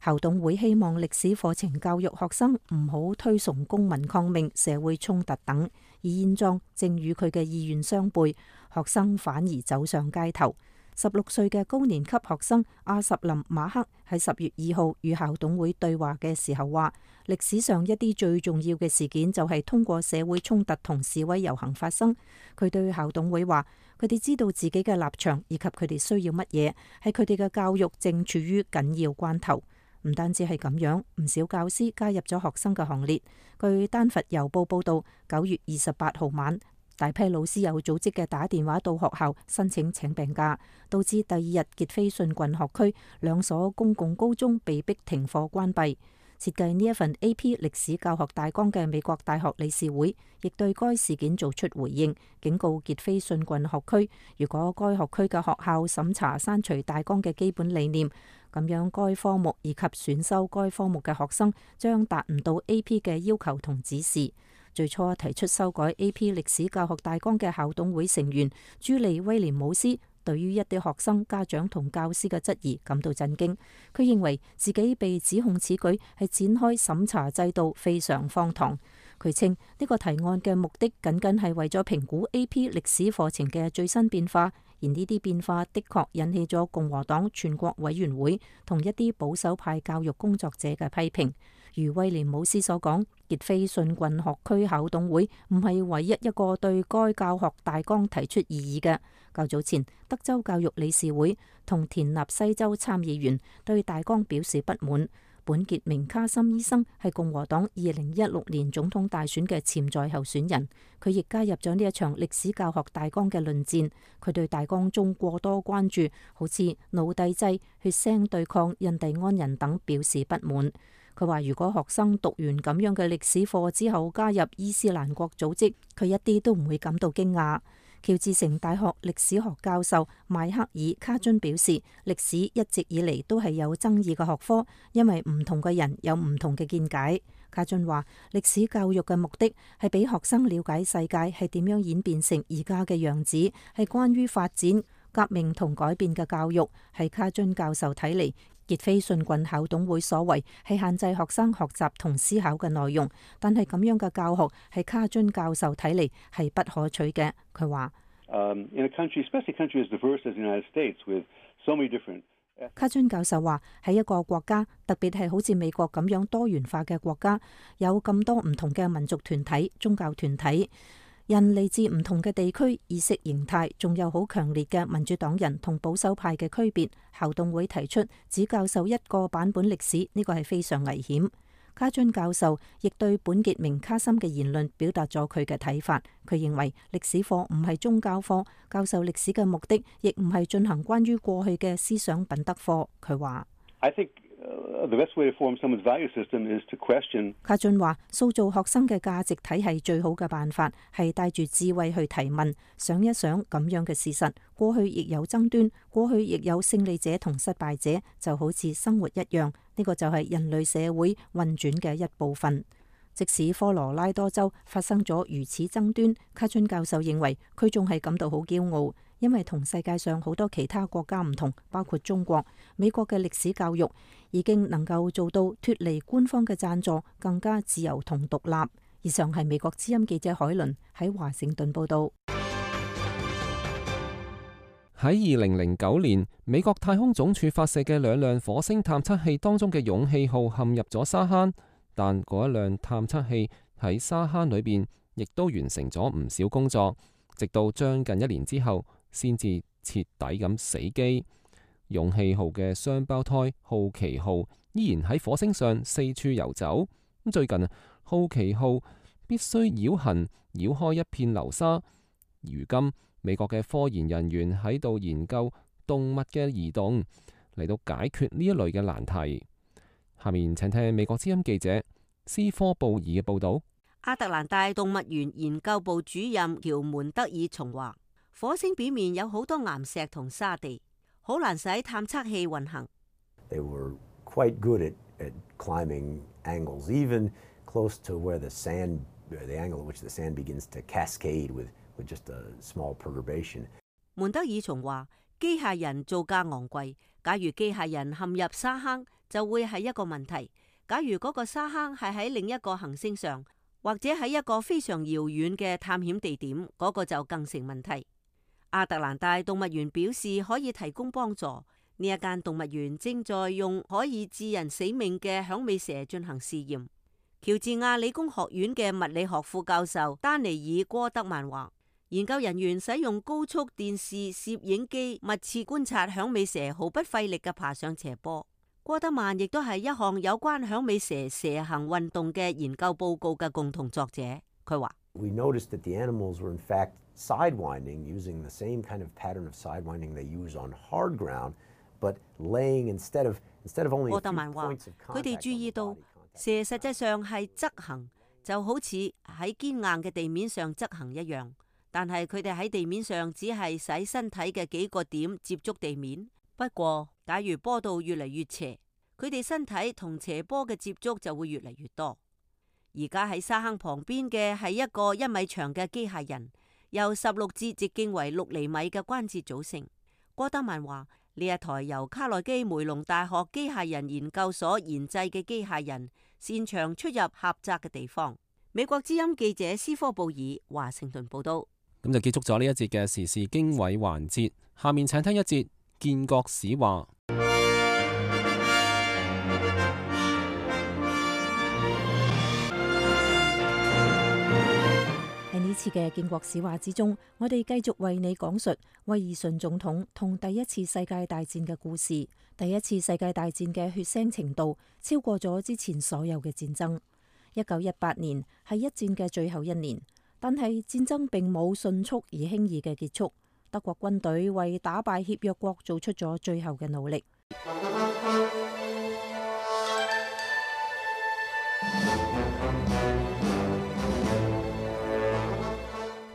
校董會希望歷史課程教育學生唔好推崇公民抗命、社會衝突等，而現狀正與佢嘅意願相悖，學生反而走上街頭。16歲嘅高年級學生阿什林馬克喺10月2號與校董會對話嘅時候話，歷史上一啲最重要嘅事件就係通過社會衝突同示威遊行發生。佢對校董會話，佢哋知道自己嘅立場以及佢哋需要乜嘢，係佢哋嘅教育正處於緊要關頭。唔單止係咁樣，唔少教師加入咗學生嘅行列。據丹佛郵報報道，9月28號晚，大批老師有組織嘅打電話到學校申請請病假，導致第2日傑斐遜郡學區2所公共高中被迫停課關閉。設計呢一份 AP 歷史教學大綱嘅美國大學理事會亦對該事件做出回應，警告傑斐遜郡學區，如果該學區嘅學校審查刪除大綱嘅基本理念，咁樣該科目以及選修該科目嘅學生將達唔到 AP 嘅要求同指示。最初提出修改 AP 歷史教學大綱嘅校董會成員朱莉威廉姆斯，對於一啲學生、家長同教師嘅質疑感到震驚。佢認為自己被指控此舉係展開審查制度，非常荒唐。佢稱呢個提案嘅目的僅僅係為咗評估 AP 歷史課程嘅最新變化，而呢啲變化的確引起咗共和黨全國委員會同一啲保守派教育工作者嘅批評。如威廉姆斯所講，傑斐遜郡學區校董會唔係唯一一個對該教學大綱提出異議嘅。較早前，德州教育理事會同田納西州參議員對大綱表示不滿。本傑明卡森醫生係共和黨2016年總統大選嘅潛在候選人，佢亦加入咗呢一場歷史教學大綱嘅論戰。佢對大綱中過多關注，好似奴隸制、血腥對抗印第安人等表示不滿。佢話如果學生讀完咁樣嘅歷史課之後加入伊斯蘭國組織，佢一啲都唔會感到驚訝。喬治城大學歷史學教授邁克爾卡津表示，歷史一直以嚟都係有爭議嘅學科，因為唔同嘅人有唔同嘅見解。卡津話，歷史教育嘅目的係俾學生了解世界係點樣演變成而家嘅樣子，係關於發展、革命同改變嘅教育。係卡津教授睇嚟，傑斐遜郡校董會所為係限制學生學習同思考嘅內容，但係咁樣嘅教學係卡津教授睇嚟係不可取嘅。佢話卡津教授話喺一個國家，特別係好似美國咁樣多元化嘅國家，有咁多唔同嘅民族團體、宗教團體，人嚟自唔同嘅地區、意識形態，仲有好強烈嘅民主黨人同保守派嘅區別。校董會提出只教授一個版本歷史，呢個係非常危險。卡津教授亦對本傑明卡森嘅言論表達咗佢嘅睇法。佢認為歷史課唔係宗教課，教授歷史嘅目的亦唔係進行關於過去嘅思想品德課。佢話卡津話，塑造學生嘅價值體系最好嘅辦法係帶住智慧去提問，想一想咁樣嘅事實。過去亦有爭端，過去亦有勝利者同失敗者，就好似生活一樣。呢個就係人類社會運轉嘅一部分。即使科羅拉多州發生咗如此爭端，卡津教授認為佢仲係感到好驕傲，因為同世界上好多其他國家唔同，包括中國、美國嘅歷史教育已經能夠做到脫離官方嘅贊助，更加自由同獨立。以上係美國之音記者海倫喺華盛頓報道。喺2009年，美國太空總署發射嘅2輛火星探測器當中嘅勇氣號陷入咗沙坑，但嗰一輛探測器喺沙坑裏邊亦都完成咗唔少工作，直到將近1年之後先至徹底咁死機。勇氣號嘅雙胞胎好奇號依然喺火星上四處遊走。最近好奇號必須繞行繞開一片流沙，如今美國嘅科研人員喺度研究動物嘅移動，嚟到解決呢一類嘅難題。下面請聽美國之音記者斯科布爾嘅報道。亞特蘭大動物園研究部主任喬門德爾松話，火星表面有好多岩石同沙地，好難使探測器運行。They were quite good at climbing angles, even close to where the angle at which the sand begins to cascade with just a small perturbation. 門德爾松話，機械人造價昂貴，假如機械人陷入沙坑，就會係一個問題。假如嗰個沙坑係喺另一個行星上，或者喺一個非常遙遠嘅探險地點，嗰個就更成問題。亞特蘭大動物園表示可以提供幫助。呢一間動物園正在用可以致人死命嘅響尾蛇進行試驗。喬治亞理工學院嘅物理學副教授丹尼爾戈德曼話，研究人員使用高速電視攝影機密切觀察響尾蛇毫不費力嘅爬上斜坡。戈德曼亦都係一項有關響尾蛇蛇行運動嘅研究報告嘅共同作者。佢話：We noticed that the animals were in fact sidewinding, using the same kind of pattern of sidewinding they use on hard ground, but laying instead of only a few points of contact. 佢哋注意到蛇實際上係側行，就好似喺堅硬嘅地面上側行一樣，但係佢哋喺地面上只係使身體嘅幾個點接觸地面。不過，假如坡度越嚟越斜，佢哋身體同斜坡嘅接觸就會越嚟越多。而家喺沙坑旁邊嘅係一個1米長嘅機械人，由16節直徑為6厘米嘅關節組成。戈德曼話：呢一台由卡內基梅隆大學機械人研究所研製嘅機械人，擅長出入狹窄嘅地方。美國之音記者斯科布爾華盛頓報道。咁就結束咗呢一節嘅時事經緯環節，下面請聽一節建國史話。喺呢次次嘅建國史話之中，我哋繼續為你講述威爾遜總統同第一次世界大戰嘅故事。第一次世界大戰嘅血腥程度超過咗之前所有嘅戰爭。1918年係一戰嘅最後一年，但係戰爭並冇迅速而輕易嘅結束。德國軍隊為打敗協約國做出咗最後嘅努力。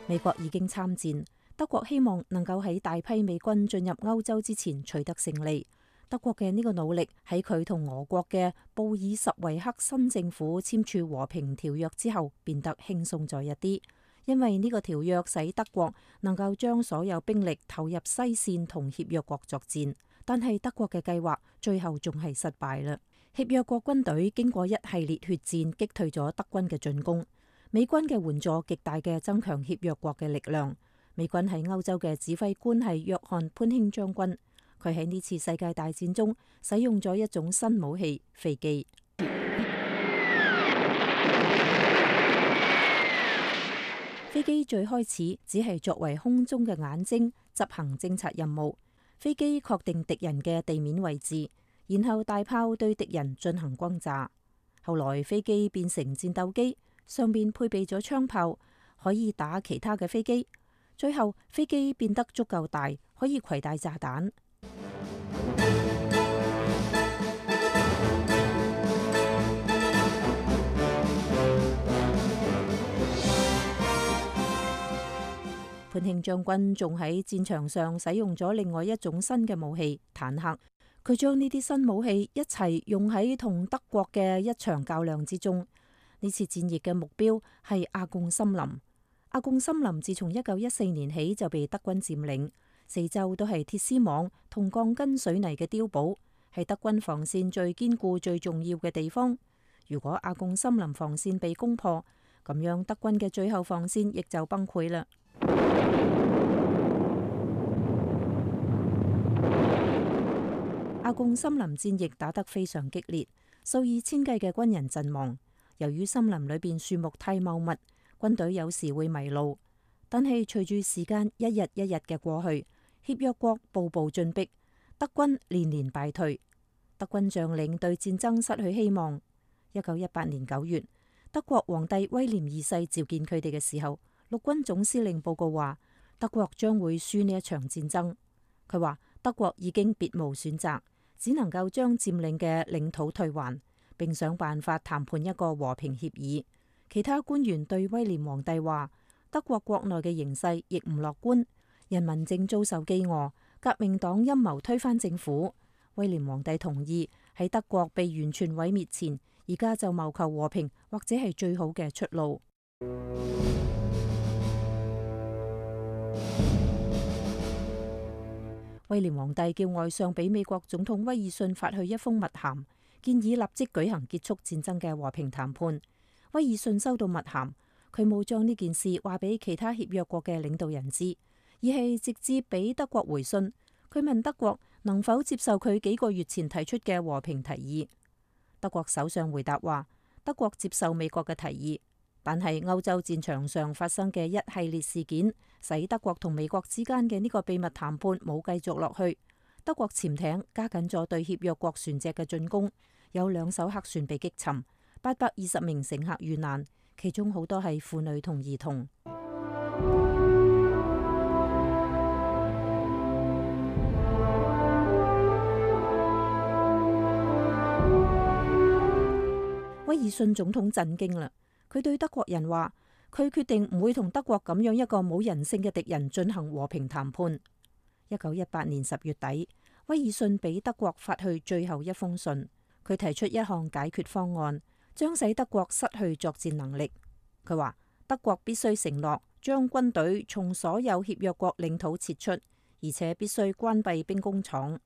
美國已經參戰，德國希望能夠喺大批美軍進入歐洲之前取得勝利。德國嘅呢個努力喺佢同俄國嘅布爾什維克新政府簽署和平條約之後變得輕鬆咗一啲，因為呢個條約使德國能夠將所有兵力投入西線同協約國作戰。但係德國嘅計劃最後仲係失敗啦。協約國軍隊經過一系列血戰擊退咗德軍嘅進攻。美軍嘅援助極大嘅增強協約國嘅力量。美軍喺歐洲嘅指揮官係約翰潘興將軍，佢喺呢次世界大戰中使用咗一種新武器——飛機。飛機最開始只係作為空中嘅眼睛，執行偵察任務。飛機確定敵人嘅地面位置，然後大炮對敵人進行轟炸。後來飛機變成戰鬥機。上面配備咗槍炮，可以打其他嘅飛機。最後飛機變得足夠大，可以攜帶炸彈。潘興將軍仲喺戰場上使用咗另外一種新嘅武器——坦克。佢將呢啲新武器一齊用喺同德國嘅一場較量之中。呢次戰役嘅目標係阿貢森林。阿貢森林自從1914年起就被德軍佔領，四周都係鐵絲網同鋼筋水泥嘅碉堡，係德軍防線最堅固、最重要嘅地方。如果阿貢森林防線被攻破，咁樣德軍嘅最後防線亦就崩潰啦。阿貢森林戰役打得非常激烈，數以千計嘅軍人陣亡。由於森林裏邊樹木太茂密，軍隊有時會迷路。但係隨住時間一日一日嘅過去，協約國步步進逼，德軍連連敗退。德軍將領對戰爭失去希望。1918年9月，德國皇帝威廉二世召見佢哋嘅時候，陸軍總司令報告話德國將會輸呢一場戰爭。佢話德國已經別無選擇，只能夠將佔領嘅領土退還，並想辦法談判一個和平協議。其他官員對威廉皇帝話，德國國內嘅形勢亦唔樂觀，人民正遭受饑餓，革命黨陰謀推翻政府。威廉皇帝同意喺德國被完全毀滅前，而家就謀求和平，或者係最好嘅出路。威廉皇帝叫外相俾美國總統威爾遜發去一封密函，建議立即舉行結束戰爭嘅和平談判。威爾遜收到密函，佢冇將呢件事話俾其他協約國嘅領導人知，而係直接俾德國回信。佢問德國能否接受佢幾個月前提出嘅和平提議。德國首相回答話，德國接受美國嘅提議，但係歐洲戰場上發生嘅一系列事件，使德國同美國之間嘅呢個秘密談判冇繼續落去。德國潛艇加緊咗對協約國船隻嘅進攻。有2艘客船被擊沉，820名乘客遇難，其中好多係婦女同兒童。威爾遜總統震驚啦，佢對德國人話，佢決定唔會同德國咁樣一個冇人性嘅敵人進行和平談判。1918年10月底，威爾遜俾德國發去最後一封信。佢提出一項解決方案，將使德國失去作戰能力。佢話德國必須承諾將軍隊從所有協約國領土撤出，而且必須關閉兵工廠。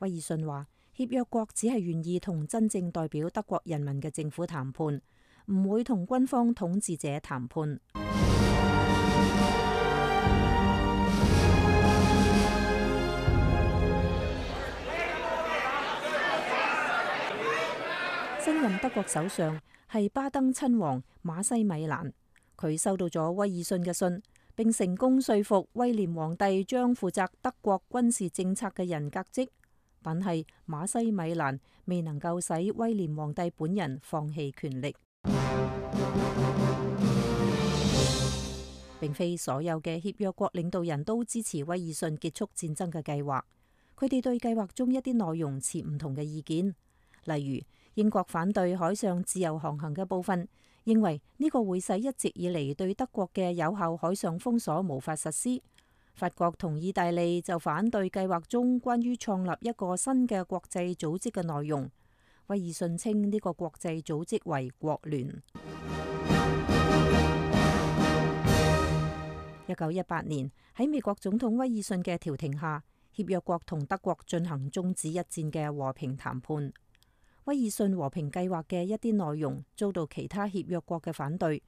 威爾遜話協約國只係願意同真正代表德國人民嘅政府談判，唔會同軍方統治者談判。新任德國首相係巴登親王馬西米蘭，佢收到咗威爾遜嘅信，並成功說服威廉皇帝將負責德國軍事政策嘅人革職，但係馬西米蘭未能夠使威廉皇帝本人放棄權力。並非所有嘅協約國領導人都支持威爾遜結束戰爭嘅計劃，佢哋對計劃中一啲內容持唔同嘅意見。例如，英國反對海上自由航行嘅部分，認為呢個會使一直以嚟對德國嘅有效海上封鎖無法實施。法國同意大利就反對計劃中關於創立一個新嘅國際組織嘅內容。威爾遜稱呢個國際組織為國聯。1918年喺美國總統威爾遜嘅調停下，協約國同德國進行終止一戰嘅和平談判。威爾遜和平計劃嘅一啲內容遭到其他協約國嘅反對。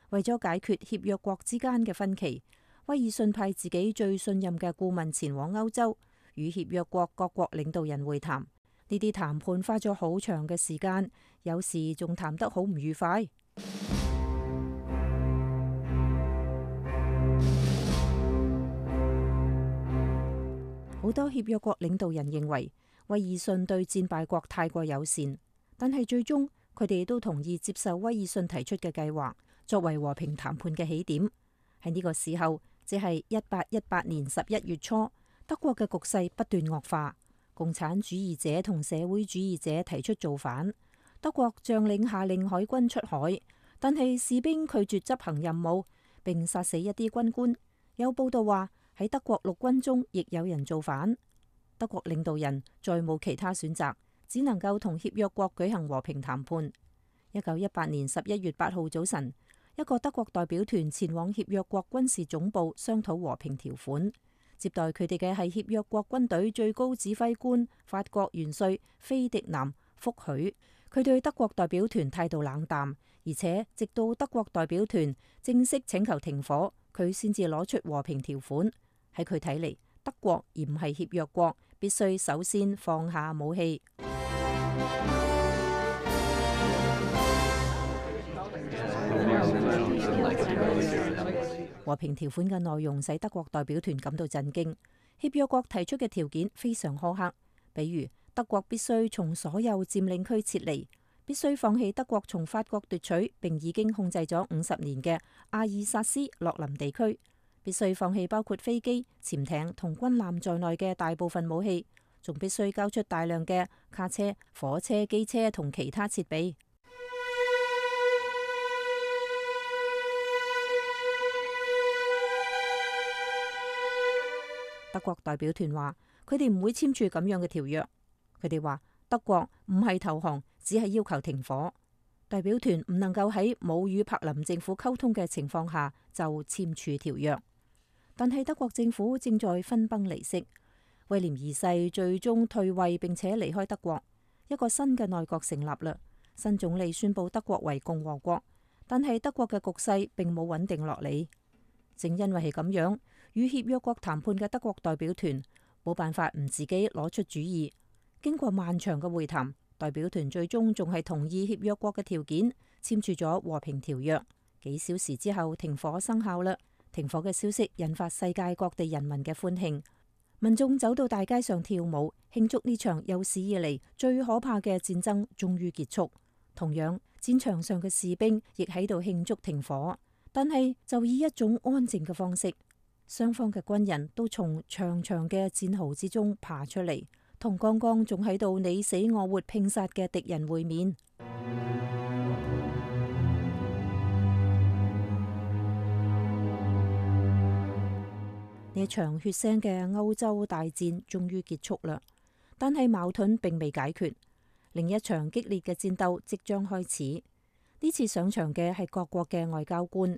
為咗解決協約國之間嘅分歧，威爾遜派自己最信任嘅顧問前往歐洲，與協約國各國領導人會談。呢啲談判花咗好長嘅時間，有時仲談得好唔愉快。好多協約國領導人認為威爾遜對戰敗國太過友善，但係最終佢哋都同意接受威爾遜提出嘅計劃，作為和平談判嘅起點。喺呢個時候，即係1818年11月初，德國嘅局勢不斷惡化，共產主義者同社會主義者提出造反。德國將領下令海軍出海，但係士兵拒絕執行任務，並殺死一啲軍官。有報道話，喺德國陸軍中亦有人造反。德國領導人再冇其他選擇，只能夠同協約國舉行和平談判。1918年11月8號早晨，一個德國代表團前往協約國軍事總部商討和平條款。接待佢哋嘅係協約國軍隊最高指揮官法國元帥菲迪南福許。佢對德國代表團態度冷淡，而且直到德國代表團正式請求停火，佢先至攞出和平條款。喺佢睇嚟，德國而唔係協約國，必須首先放下武器。和平條款嘅內容使德國代表團感到震驚。協約國提出嘅條件非常苛刻，比如德國必須從所有佔領區撤離，必須放棄德國從法國奪取並已經控制咗50年嘅阿爾薩斯洛林地區，必須放棄包括飛機、潛艇同軍艦在內嘅大部分武器，仲必須交出大量嘅卡車、火車、機車同其他設備。德國代表團話，佢哋唔會簽署咁樣嘅條約。佢哋話德國唔係投降，只係要求停火。代表團唔能夠喺冇與柏林政府溝通嘅情況下就簽署條約。但係德國政府正在分崩離析。威廉二世最終退位並且離開德國，一個新嘅內閣成立啦。新總理宣布德國為共和國，但係德國嘅局勢並冇穩定落嚟。正因為係咁樣，與協約國談判嘅德國代表團冇辦法唔自己攞出主意。經過漫長嘅會談，代表團最終仲係同意協約國嘅條件，簽署咗和平條約。幾小時之後，停火生效啦。停火嘅消息引發世界各地人民嘅歡慶，民眾走到大街上跳舞，慶祝呢場有史以嚟最可怕嘅戰爭終於結束。同樣，戰場上嘅士兵亦喺度慶祝停火，但係就以一種安靜嘅方式。雙方嘅軍人都從長長嘅戰壕之中爬出嚟，同剛剛仲喺度你死我活拼殺嘅敵人會面。呢場血腥嘅歐洲大戰終於結束啦，但係矛盾並未解決，另一場激烈嘅戰鬥即將開始。呢次上場嘅係各國嘅外交官，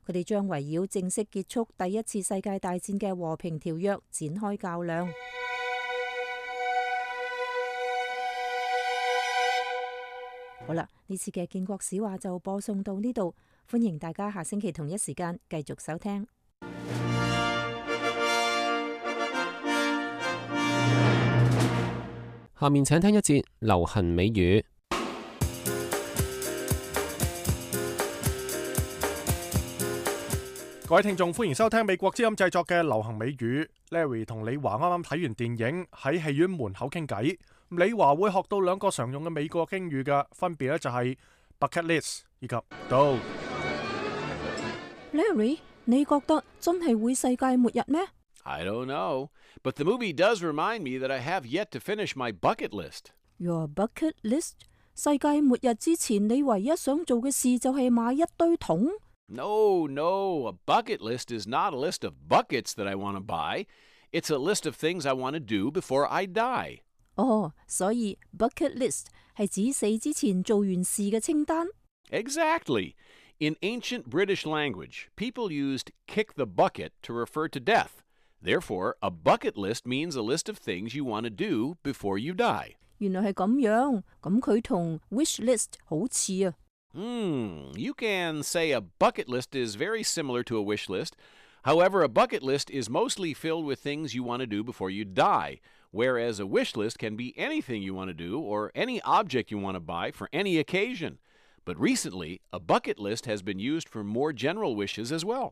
佢哋將圍繞正式結束第一次世界大戰嘅和平條約展開較量。好啦，呢次嘅建國史話就播送到呢度，歡迎大家下星期同一時間繼續收聽。下面請聽一節流行美語。各位聽眾，歡迎收聽美國之音製作嘅流行美語。Larry 同李華啱啱睇完電影，喺戲院門口傾偈。李華會學到兩個常用嘅美國英語嘅，分別咧就係 bucket list 以及 do。Larry， 你覺得真係會世界末日咩？ I don't know, but the movie does remind me that I have yet to finish my bucket list. Your bucket list？ 世界末日之前，你唯一想做嘅事就係買一堆桶？No, a bucket list is not a list of buckets that I want to buy. It's a list of things I want to do before I die. 所以 bucket list 係指死之前做完事嘅清單。Exactly. In ancient British language, people used kick the bucket to refer to death. Therefore, a bucket list means a list of things you want to do before you die. 原來係咁樣，咁佢同 wish list 好似啊。You can say a bucket list is very similar to a wish list. However, a bucket list is mostly filled with things you want to do before you die, whereas a wish list can be anything you want to do or any object you want to buy for any occasion. But recently, a bucket list has been used for more general wishes as well.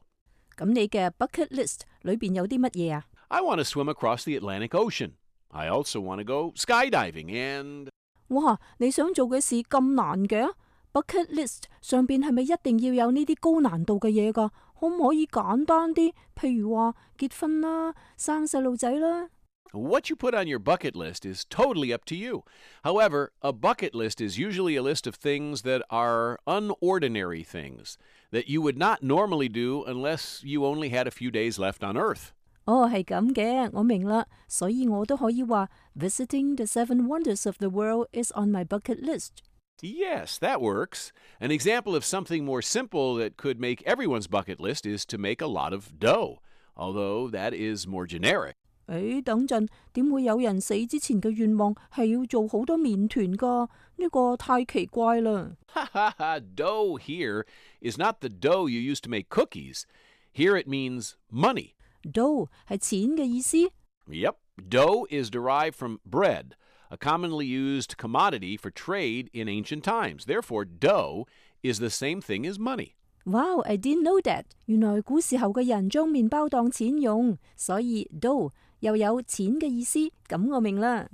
咁你嘅 bucket list 裏邊有啲乜嘢啊？ I want to swim across the Atlantic Ocean. I also want to go skydiving and... 哇，你想做嘅事咁難嘅？Bucket list 上邊係咪一定要有呢啲高難度嘅嘢㗎？可唔可以簡單啲？譬如話結婚啦、生細路仔啦。What you put on your bucket list is totally up to you. However, a bucket list is usually a list of things that are unordinary things that you would not normally do unless you only had a few days left on Earth. 係咁嘅，我明啦，所以我都可以話 Visiting the Seven Wonders of the World is on my bucket list.Yes, that works. An example of something more simple that could make everyone's bucket list is to make a lot of dough, although that is more generic. 等陣，點會有人死之前嘅願望係要做好多麵團㗎？呢個太奇怪啦。Dough here is not the dough you use to make cookies. Here it means money. Dough 係錢嘅意思。Yep, dough is derived from bread.A commonly used commodity for trade in ancient times. Therefore, dough is the same thing as money. Wow, I didn't know that. 原來古時候嘅人將麵包當錢用，所以 dough 又有錢嘅意思，咁我明啦。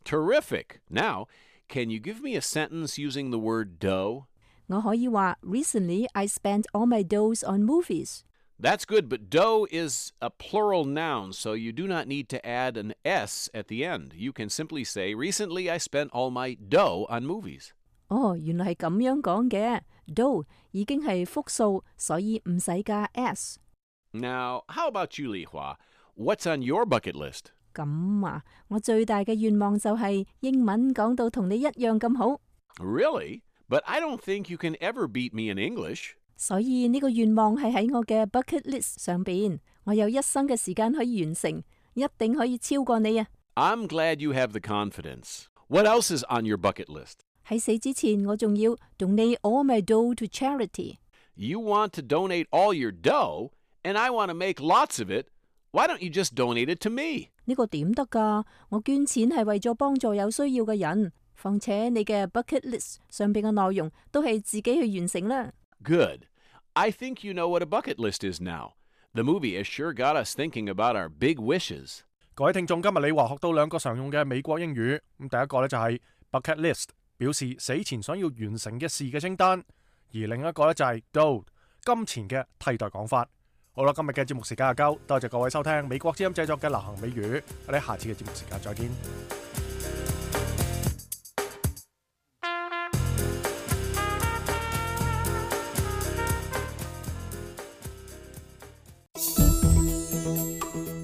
Terrific. Now, can you give me a sentence using the word dough? 我可以話 Recently, I spent all my doughs on movies.That's good, but dough is a plural noun, so you do not need to add an S at the end. You can simply say, Recently I spent all my dough on movies. 原來係咁樣講嘅。dough 已經係複數，所以唔使加 S. Now, how about you, Li Hua? What's on your bucket list? 咁啊，我最大嘅願望就係英文講到同你一樣咁好。Really? But I don't think you can ever beat me in English.所以呢個願望係喺我嘅 bucket list 上邊，我有一生嘅時間可以完成，一定可以超過你啊！ I'm glad you have the confidence. What else is on your bucket list? 喺死之前，我仲要 donate all my dough to charity. You want to donate all your dough, and I want to make lots of it. Why don't you just donate it to me? 呢個點得㗎？我捐錢係為咗幫助有需要嘅人，況且你嘅 bucket list 上邊嘅內容都係自己去完成啦。Good. I think you know what a bucket list is now. The movie has sure got us thinking about our big wishes. 各位聽眾，今日李華學到兩個常用嘅美國英語。第一個呢就係 bucket list， 表示死前想要完成嘅事嘅清單；而另一個呢就係 dough， 金錢嘅替代講法。好啦，今日嘅節目時間就夠，多謝各位收聽美國之音製作嘅流行美語。我哋下次嘅節目時間再見。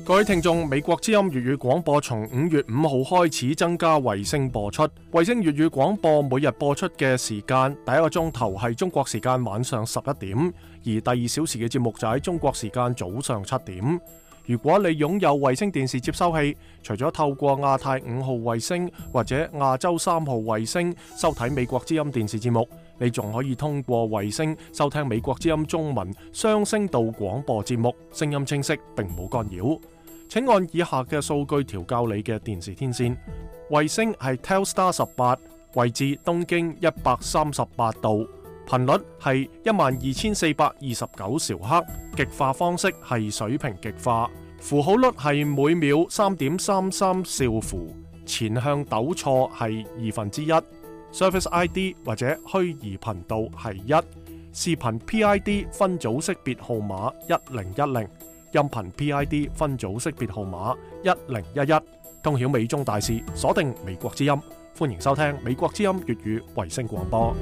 各位聽眾，美國之音粵語廣播從5月5號開始增加衛星播出。衛星粵語廣播每日播出嘅時間，第一個鐘頭係中國時間晚上11點，而第2小時嘅節目就喺中國時間早上7點。如果你擁有衛星電視接收器，除咗透過亞太5號衛星或者亞洲3號衛星收睇美國之音電視節目，你仲可以通過衛星收聽美國之音中文雙聲道廣播節目，聲音清晰並冇干擾。請按以下嘅數據調校你嘅電視天線。衛星係 Telstar 18，位置東經138度，頻率係12429兆赫，極化方式係水平極化，符號率係每秒3.33兆符，前向抖錯係1/2。Service ID 或者虛擬頻道係1，視頻 PID 分組識別號碼1010，音頻 PID 分組識別號碼1011。通曉美中大事，鎖定美國之音，歡迎收聽美國之音粵語衛星廣播。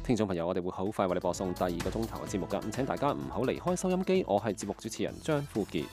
聽眾朋友，我哋會好快為你播送第2個鐘頭嘅節目㗎，咁請大家唔好離開收音機。我係節目主持人張富傑。